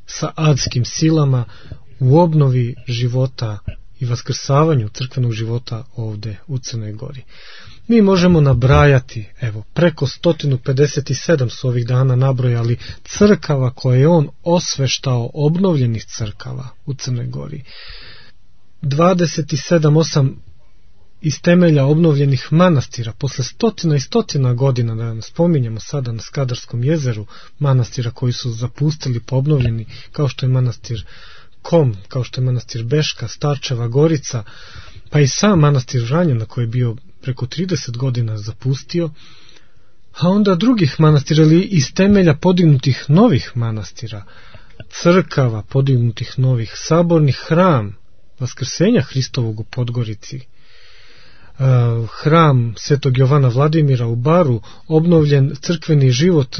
sa adskim silama u obnovi života i vaskrsavanju crkvenog života ovde u Crnoj Gori. Mi možemo nabrajati, evo, preko sto pedeset sedam su ovih dana nabrojali crkava koje je on osveštao, obnovljenih crkava u Crnoj Gori. dvadeset sedam osam iz temelja obnovljenih manastira, posle stotina i stotina godina, da spominjemo sada na Skadarskom jezeru, manastira koji su zapustili, obnovljeni, kao što je manastir Kom, kao što je manastir Beška, Starčeva Gorica, pa i sam manastir Vranjana koji je bio preko trideset godina zapustio, a onda drugih manastira ili iz temelja podignutih novih manastira, crkava podignutih novih, sabornih hram, Vaskrsenja Hristovog u Podgorici, hram Svetog Jovana Vladimira u Baru, obnovljen crkveni život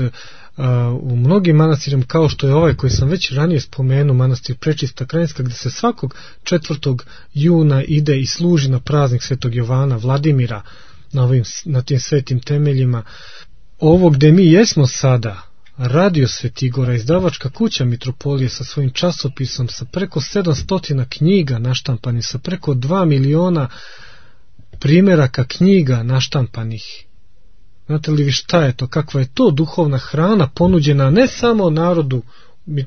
u mnogim manastirima, kao što je ovaj koji sam već ranije spomenuo, manastir Prečista Krajinska, gde se svakog četvrtog juna ide i služi na praznik Svetog Jovana Vladimira na, ovim, na tim svetim temeljima. Ovo gde mi jesmo sada, Radio Svetigora, izdavačka kuća mitropolije sa svojim časopisom, sa preko sedamsto knjiga naštampanih, sa preko dva miliona primjeraka knjiga naštampanih. Znate li vi šta je to, kakva je to duhovna hrana ponuđena ne samo narodu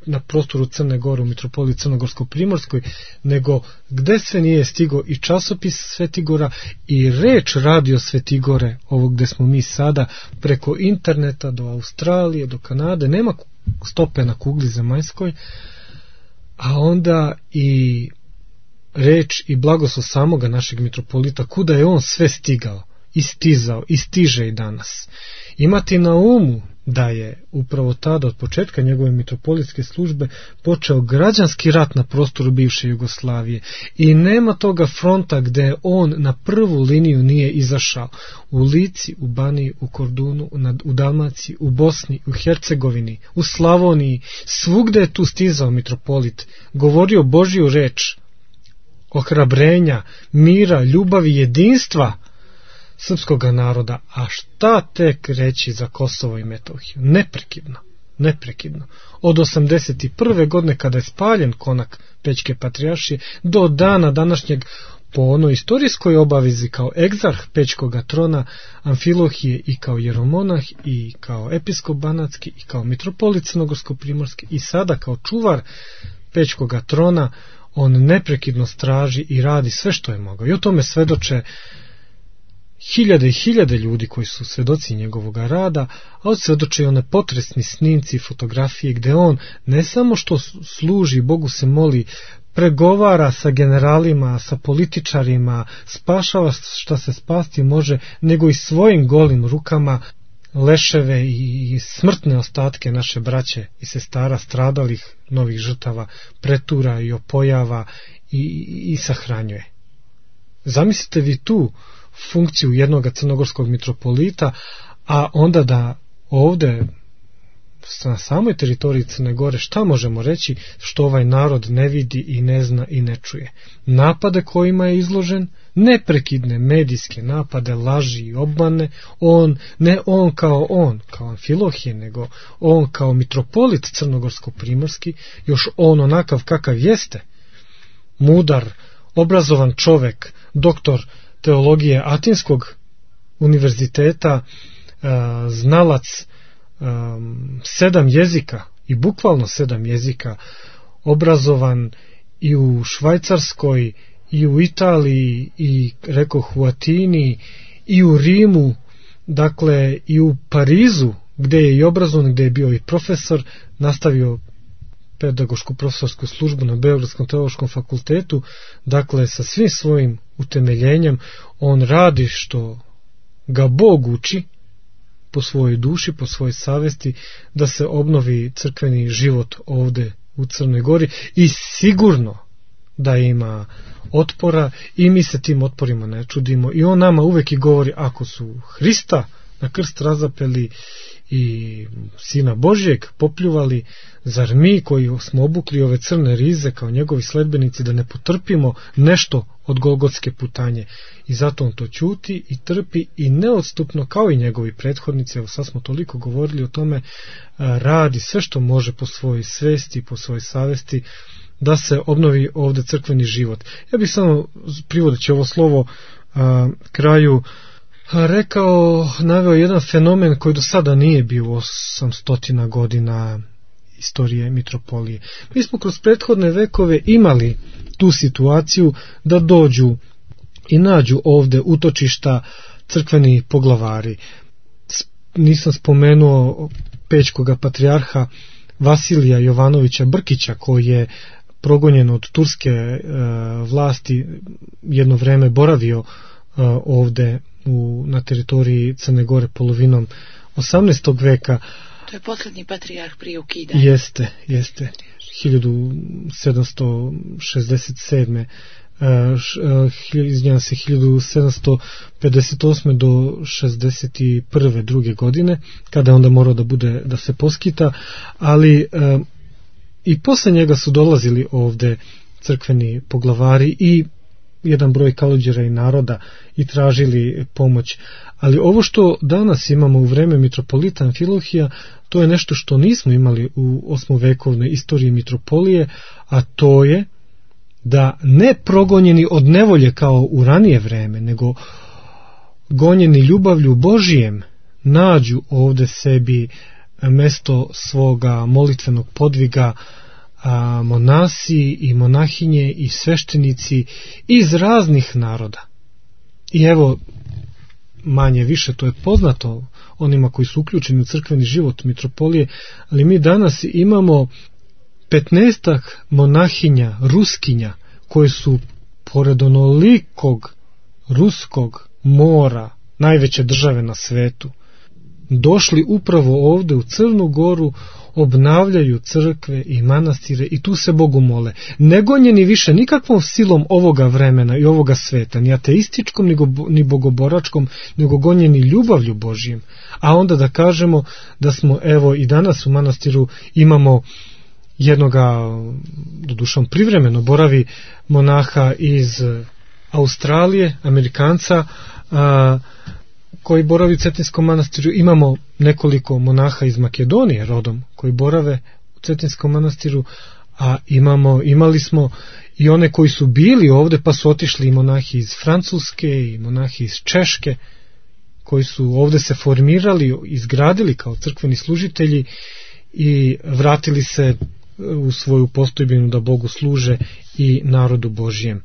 na prostoru Crne Gore u mitropoliji Crnogorsko-Primorskoj, nego gde sve nije stigo i časopis Svetigora i reč Radio Svetigore, ovo gde smo mi sada, preko interneta do Australije, do Kanade, nema stope na kugli zemaljskoj, a onda i reč i blagoslov samoga našeg mitropolita, kuda je on sve stigao i stizao i stiže i danas. Imati na umu da je upravo tada od početka njegove mitropolitske službe počeo građanski rat na prostoru bivše Jugoslavije i nema toga fronta gde on na prvu liniju nije izašao. U Lici, u Baniji, u Kordunu, u Dalmaciji, u Bosni, u Hercegovini, u Slavoniji, svugde je tu stizao mitropolit, govorio Božju reč, ohrabrenja, mira, ljubavi, jedinstva srpskog naroda, a šta tek reći za Kosovo i Metohiju? Neprekidno, neprekidno. Od osamdeset prve. godine kada je spaljen konak Pećke patrijaršije do dana današnjeg, po onoj istorijskoj obavezi kao egzarh Pećkoga trona Amfilohije i kao jeromonah i kao episkop banatski i kao mitropolit Crnogorsko-Primorski i sada kao čuvar Pećkoga trona, on neprekidno straži i radi sve što je mogao. I o tome svedoče hiljade i hiljade ljudi koji su svedoci njegovog rada, a odsvedoče i one potresni snimci i fotografije gde on ne samo što služi, Bogu se moli, pregovara sa generalima, sa političarima, spašava šta se spasti može, nego i svojim golim rukama leševe i smrtne ostatke naše braće i sestara stradalih novih žrtava pretura i opojava i, i sahranjuje. Zamislite vi tu funkciju jednog crnogorskog mitropolita, a onda da ovde na samoj teritoriji Crne Gore šta možemo reći što ovaj narod ne vidi i ne zna i ne čuje. Napade kojima je izložen, neprekidne medijske napade, laži i obmane, on, ne on kao on, kao Amfilohije, nego on kao mitropolit crnogorsko-primorski, još on onakav kakav jeste, mudar, obrazovan čovek, doktor teologije Atinskog univerziteta, znalac Um, sedam jezika i bukvalno sedam jezika, obrazovan i u Švajcarskoj i u Italiji i rekoh u Atini i u Rimu, dakle i u Parizu gde je i obrazovan, gde je bio i profesor, nastavio pedagošku profesorsku službu na Beogradskom teološkom fakultetu, dakle sa svim svojim utemeljenjem on radi što ga Bog uči po svojoj duši, po svojoj savesti, da se obnovi crkveni život ovde u Crnoj Gori i sigurno da ima otpora i mi se tim otporima ne čudimo i on nama uvek i govori ako su Hrista na krst razapeli i Sina Božjeg popljuvali, zar mi koji smo obukli ove crne rize kao njegovi sledbenici da ne potrpimo nešto od golgotske putanje? I zato on to ćuti i trpi i neodstupno kao i njegovi prethodnici, evo sad smo toliko govorili o tome, radi sve što može po svojoj svesti, po svojoj savesti da se obnovi ovde crkveni život. Ja bih samo privodeći ovo slovo a, kraju rekao, naveo jedan fenomen koji do sada nije bio osamstotina godina istorije mitropolije. Mi smo kroz prethodne vekove imali tu situaciju da dođu i nađu ovde utočišta crkveni poglavari. Nisam spomenuo pećkoga patrijarha Vasilija Jovanovića Brkića, koji je progonjen od turske e, vlasti, jedno vreme boravio e, ovde u, na teritoriji Crne Gore polovinom osamnaestog veka. To je posljednji patrijarh prije ukidanja. Jeste, jeste. hiljadu sedamsto šezdeset sedme Uh, izvinjam se, hiljadu sedamsto pedeset osme do šezdeset prve druge godine, kada je onda morao da bude, da se poskita, ali uh, i posle njega su dolazili ovde crkveni poglavari i jedan broj kalođera i naroda i tražili pomoć. Ali ovo što danas imamo u vreme mitropolita Amfilohija, to je nešto što nismo imali u osmovekovnoj istoriji mitropolije, a to je da ne progonjeni od nevolje kao u ranije vreme, nego gonjeni ljubavlju Božijem nađu ovde sebi mesto svoga molitvenog podviga, a monasi i monahinje i sveštenici iz raznih naroda. I evo, manje više to je poznato onima koji su uključeni u crkveni život mitropolije, ali mi danas imamo petnaestak monahinja, ruskinja, koje su pored onolikog ruskog mora, najveće države na svetu, došli upravo ovde u Crnu Goru, obnavljaju crkve i manastire i tu se Bogu mole. Ne gonjeni više nikakvom silom ovoga vremena i ovoga sveta, ni ateističkom, ni bogoboračkom, nego gonjeni ljubavlju Božijim. A onda da kažemo da smo, evo i danas u manastiru imamo jednoga, dodušom privremeno boravi, monaha iz Australije, Amerikanca, a, koji boravi u Cetinskom manastiru. Imamo nekoliko monaha iz Makedonije rodom koji borave u Cetinskom manastiru, a imamo, imali smo i one koji su bili ovde pa su otišli i monahi iz Francuske i monahi iz Češke, koji su ovde se formirali, izgradili kao crkveni služitelji i vratili se u svoju postojbinu da Bogu služe i narodu Božijem.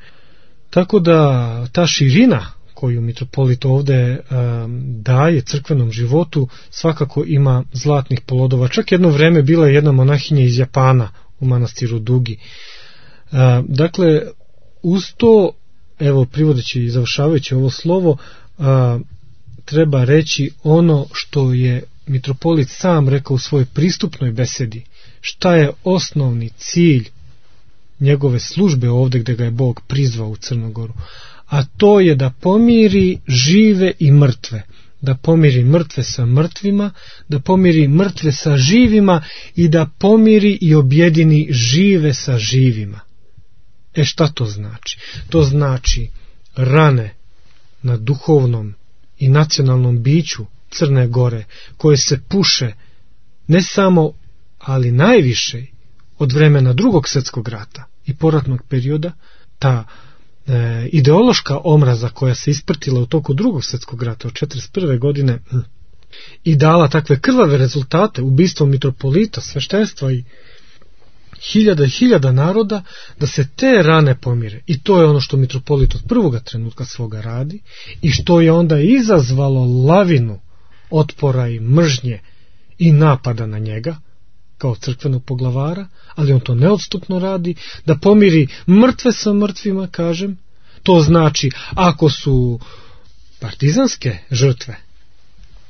Tako da ta širina koju mitropolit ovde um, daje crkvenom životu svakako ima zlatnih plodova. Čak jedno vreme bila je jedna monahinja iz Japana u manastiru Dugi. Uh, dakle, uz to, evo privodeći i završavajući ovo slovo, uh, treba reći ono što je mitropolit sam rekao u svojoj pristupnoj besedi. Šta je osnovni cilj njegove službe ovdje gdje ga je Bog prizvao u Crnogoru? A to je da pomiri žive i mrtve. Da pomiri mrtve sa mrtvima, da pomiri mrtve sa živima i da pomiri i objedini žive sa živima. E šta to znači? To znači rane na duhovnom i nacionalnom biću Crne Gore, koje se puše ne samo, ali najviše od vremena Drugog svjetskog rata i poratnog perioda, ta e, ideološka omraza koja se isprtila u toku Drugog svjetskog rata od četrdeset prve godine i dala takve krvave rezultate, ubistvom mitropolita, sveštenstva i hiljada i hiljada naroda, da se te rane pomire. I to je ono što mitropolit od prvoga trenutka svoga radi i što je onda izazvalo lavinu otpora i mržnje i napada na njega kao crkvenog poglavara, ali on to neodstupno radi, da pomiri mrtve sa mrtvima, kažem. To znači, ako su partizanske žrtve,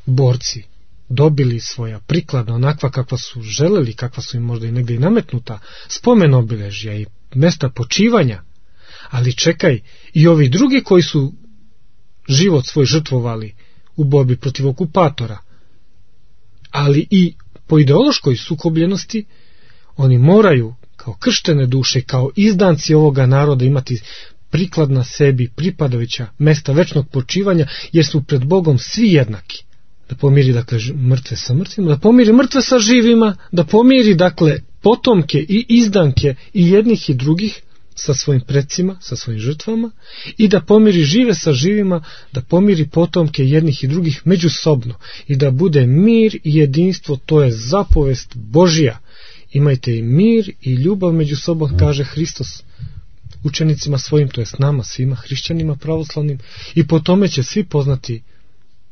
borci, dobili svoja prikladna, onakva kakva su želeli, kakva su im možda i negdje i nametnuta, spomen obilježja i mesta počivanja, ali čekaj, i ovi drugi koji su život svoj žrtvovali u borbi protiv okupatora, ali i po ideološkoj sukobljenosti, oni moraju kao krštene duše, kao izdanci ovoga naroda imati prikladna sebi pripadajuća mesta večnog počivanja, jer su pred Bogom svi jednaki. Da pomiri, dakle, mrtve sa mrtvima, da pomiri mrtve sa živima, da pomiri, dakle, potomke i izdanke i jednih i drugih sa svojim predsima, sa svojim žrtvama, i da pomiri žive sa živima, da pomiri potomke jednih i drugih međusobno i da bude mir i jedinstvo. To je zapovest Božja. Imajte i mir i ljubav među sobom, kaže Hristos učenicima svojim, to je s nama svima hrišćanima pravoslavnim, i po tome će svi poznati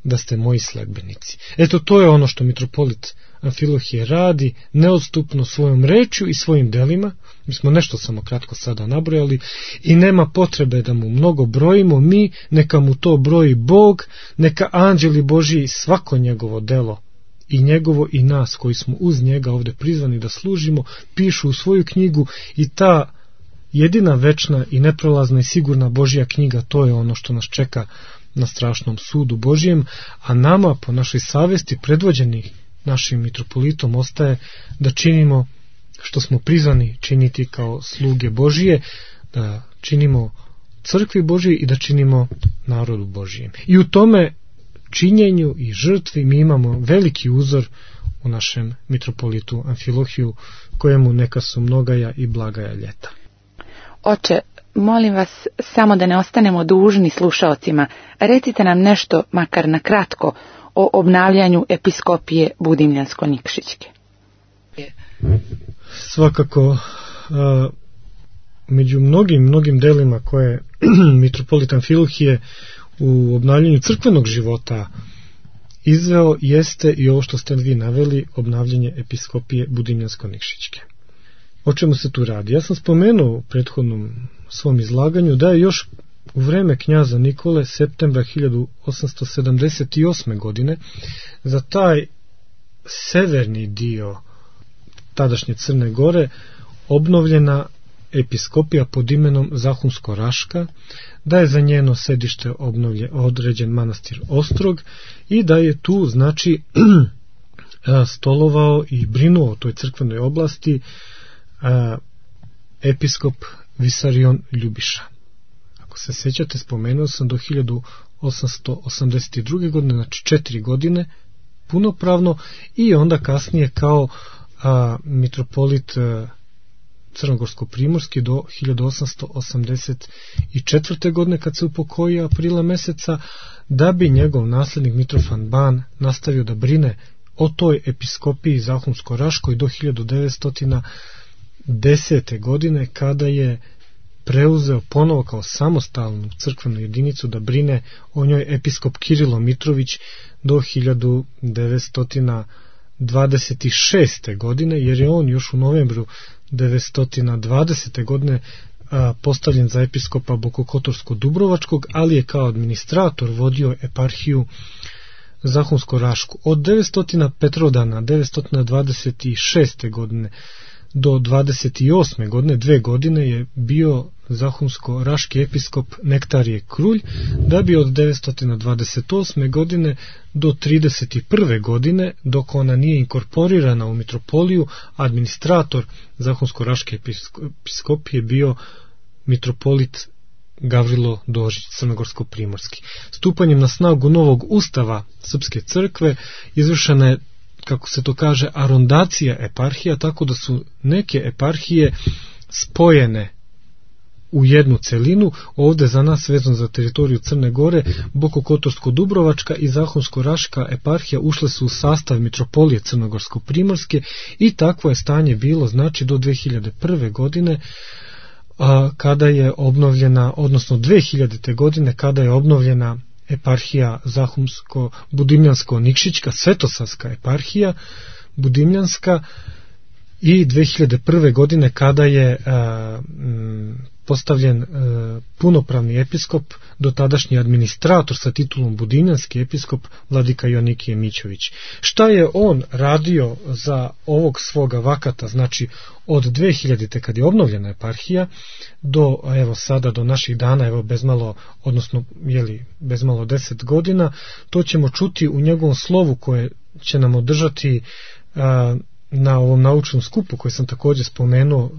da ste moji sledbenici. Eto, to je ono što mitropolit Amfilohije radi neodstupno svojom rečju i svojim delima. Mi smo nešto samo kratko sada nabrojali i nema potrebe da mu mnogo brojimo mi, neka mu to broji Bog, neka anđeli Božji svako njegovo delo i njegovo i nas koji smo uz njega ovdje prizvani da služimo, pišu u svoju knjigu, i ta jedina večna i neprolazna i sigurna Božja knjiga, to je ono što nas čeka na strašnom sudu Božjem, a nama po našoj savesti predvođeni našim mitropolitom ostaje da činimo što smo prizvani činiti kao sluge Božije, da činimo crkvi Božije i da činimo narodu Božijem. I u tome činjenju i žrtvi mi imamo veliki uzor u našem mitropolitu Amfilohiju, kojemu neka su mnogaja i blagaja ljeta. Oče, molim vas samo da ne ostanemo dužni slušaocima. Recite nam nešto, makar na kratko, o obnavljanju episkopije Budimljansko-Nikšićke. Svakako, a, među mnogim, mnogim delima koje mitropolit Amfilohije u obnavljanju crkvenog života izveo jeste i ovo što ste vi naveli, obnavljanje episkopije Budimljansko-Nikšićke. O čemu se tu radi? Ja sam spomenuo u prethodnom svom izlaganju da je još u vreme knjaza Nikole septembra hiljadu osamsto sedamdeset osme. godine za taj severni dio tadašnje Crne Gore obnovljena episkopija pod imenom Zahumsko-Raška, da je za njeno sedište obnovlje, određen manastir Ostrog i da je tu, znači, stolovao i brinuo o toj crkvenoj oblasti a, episkop Visarion Ljubiša. Ako se sjećate, spomenuo sam do hiljadu osamsto osamdeset druge. godine, znači četiri godine, punopravno, i onda kasnije kao a, mitropolit a, Crnogorsko-Primorski do hiljadu osamsto osamdeset četvrte. godine, kad se upokojio aprila meseca, da bi njegov nasljednik Mitrofan Ban nastavio da brine o toj episkopiji Zahumsko-Raškoj do hiljadu devetsto desete. godine, kada je preuzeo ponovo kao samostalnu crkvenu jedinicu da brine o njoj episkop Kirilo Mitrović do hiljadu devetsto dvadeset šeste. godine, jer je on još u novembru devetsto dvadesete. godine a, postavljen za episkopa Bokokotorsko-Dubrovačkog, ali je kao administrator vodio eparhiju Zahumsko-Rašku. Od devetsto Petrodana devetsto dvadeset šeste. godine do dvadeset osme. godine, dve godine je bio Zahumsko-Raški episkop Nektarije Krulj, da bi od devetsto dvadeset osme. godine do trideset prve. godine, dok ona nije inkorporirana u mitropoliju, administrator Zahumsko-Raške episkopije bio mitropolit Gavrilo Dožić, crnogorsko-primorski. Stupanjem na snagu novog ustava Srpske crkve izvršena je, kako se to kaže, arondacija eparhija, tako da su neke eparhije spojene u jednu celinu. Ovde za nas, vezano za teritoriju Crne Gore, Bokokotorsko-Dubrovačka i Zahumsko-Raška eparhija ušle su u sastav mitropolije crnogorsko-primorske i takvo je stanje bilo, znači, do dve hiljade prve. godine, a, kada je obnovljena, odnosno dve hiljadite. godine, kada je obnovljena eparhija Zahumsko-Budimljansko-Nikšićka, Svetosavska eparhija Budimljanska, i dve hiljade prve. godine kada je a, m, postavljen a, punopravni episkop, dotadašnji administrator sa titulom Budimljanski episkop, vladika Joanikije Mićović. Šta je on radio za ovog svoga vakata, znači od dve hiljadite. kad je obnovljena eparhija do, evo sada, do naših dana, evo bezmalo, odnosno jeli, bezmalo deset godina, to ćemo čuti u njegovom slovu koje će nam održati a, na ovom naučnom skupu koji sam također spomenuo,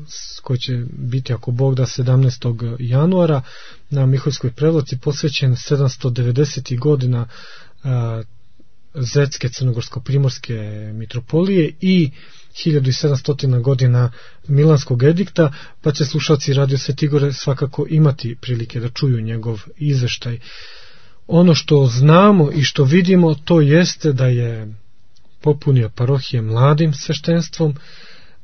koji će biti, ako Bog da, sedamnaestog januara na Miholjskoj Prevlaci, posvećen sedamsto devedesetih. godina a, Zetske crnogorsko-primorske mitropolije i hiljadu sedamsto godina Milanskog edikta, pa će slušalci Radio Svetigore svakako imati prilike da čuju njegov izveštaj. Ono što znamo i što vidimo, to jeste da je popunio parohije mladim sveštenstvom,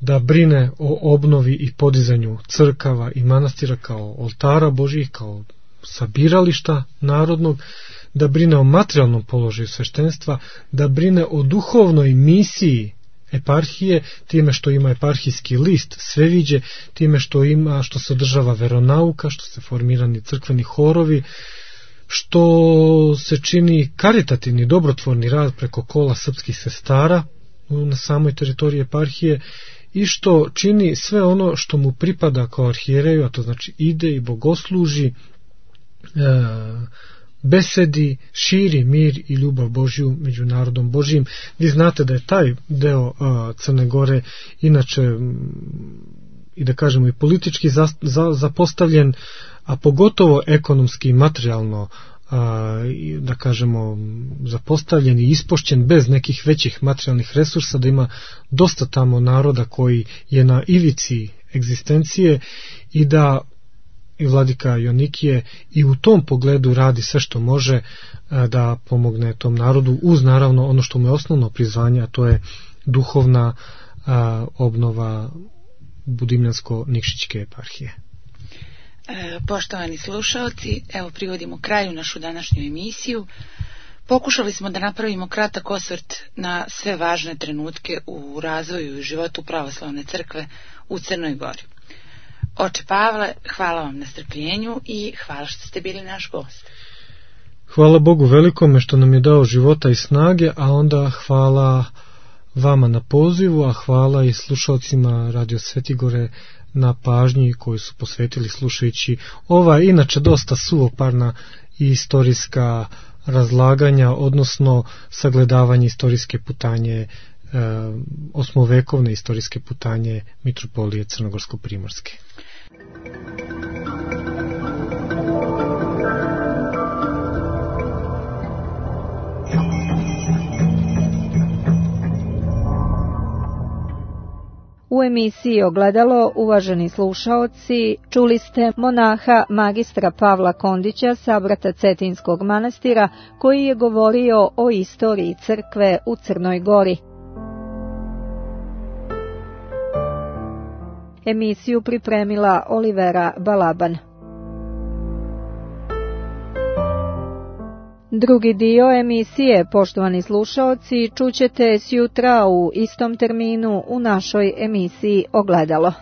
da brine o obnovi i podizanju crkava i manastira kao oltara Božjih, kao sabirališta narodnog, da brine o materijalnom položaju sveštenstva, da brine o duhovnoj misiji eparhije, time što ima eparhijski list Sveviđe, time što ima, što se održava veronauka, što se formirani crkveni horovi, što se čini karitativni, dobrotvorni rad preko kola srpskih sestara na samoj teritoriji eparhije i što čini sve ono što mu pripada kao arhijereju, a to znači ide i bogosluži, e, besedi, širi mir i ljubav Božju među narodom Božjim. Vi znate da je taj deo a, Crne Gore inače i da kažemo i politički za, za, zapostavljen, a pogotovo ekonomski i materijalno, a, da kažemo zapostavljen i ispošćen bez nekih većih materijalnih resursa, da ima dosta tamo naroda koji je na ivici egzistencije i da i vladika Joanikije i u tom pogledu radi sve što može da pomogne tom narodu, uz naravno ono što mu je osnovno prizvanje, a to je duhovna a, obnova Budimljansko-Nikšićke eparhije. E, poštovani slušalci, evo privodimo kraju našu današnju emisiju. Pokušali smo da napravimo kratak osvrt na sve važne trenutke u razvoju i životu pravoslavne crkve u Crnoj Gori. Oče Pavle, hvala vam na strpljenju i hvala što ste bili naš gost. Hvala Bogu velikome što nam je dao života i snage, a onda hvala vama na pozivu, a hvala i slušalcima Radio Svetigore na pažnji koju su posvetili slušajući ova inače dosta suvoparna i istorijska razlaganja, odnosno sagledavanje istorijske putanje, e, osmovekovne istorijske putanje mitropolije Crnogorsko-primorske. U emisiji Ogledalo, uvaženi slušaoci, čuli ste monaha magistra Pavla Kondića sa Brata Cetinskog manastira, koji je govorio o istoriji crkve u Crnoj Gori. Emisiju pripremila Olivera Balaban. Drugi dio emisije, poštovani slušaoci, čućete sjutra u istom terminu u našoj emisiji Ogledalo.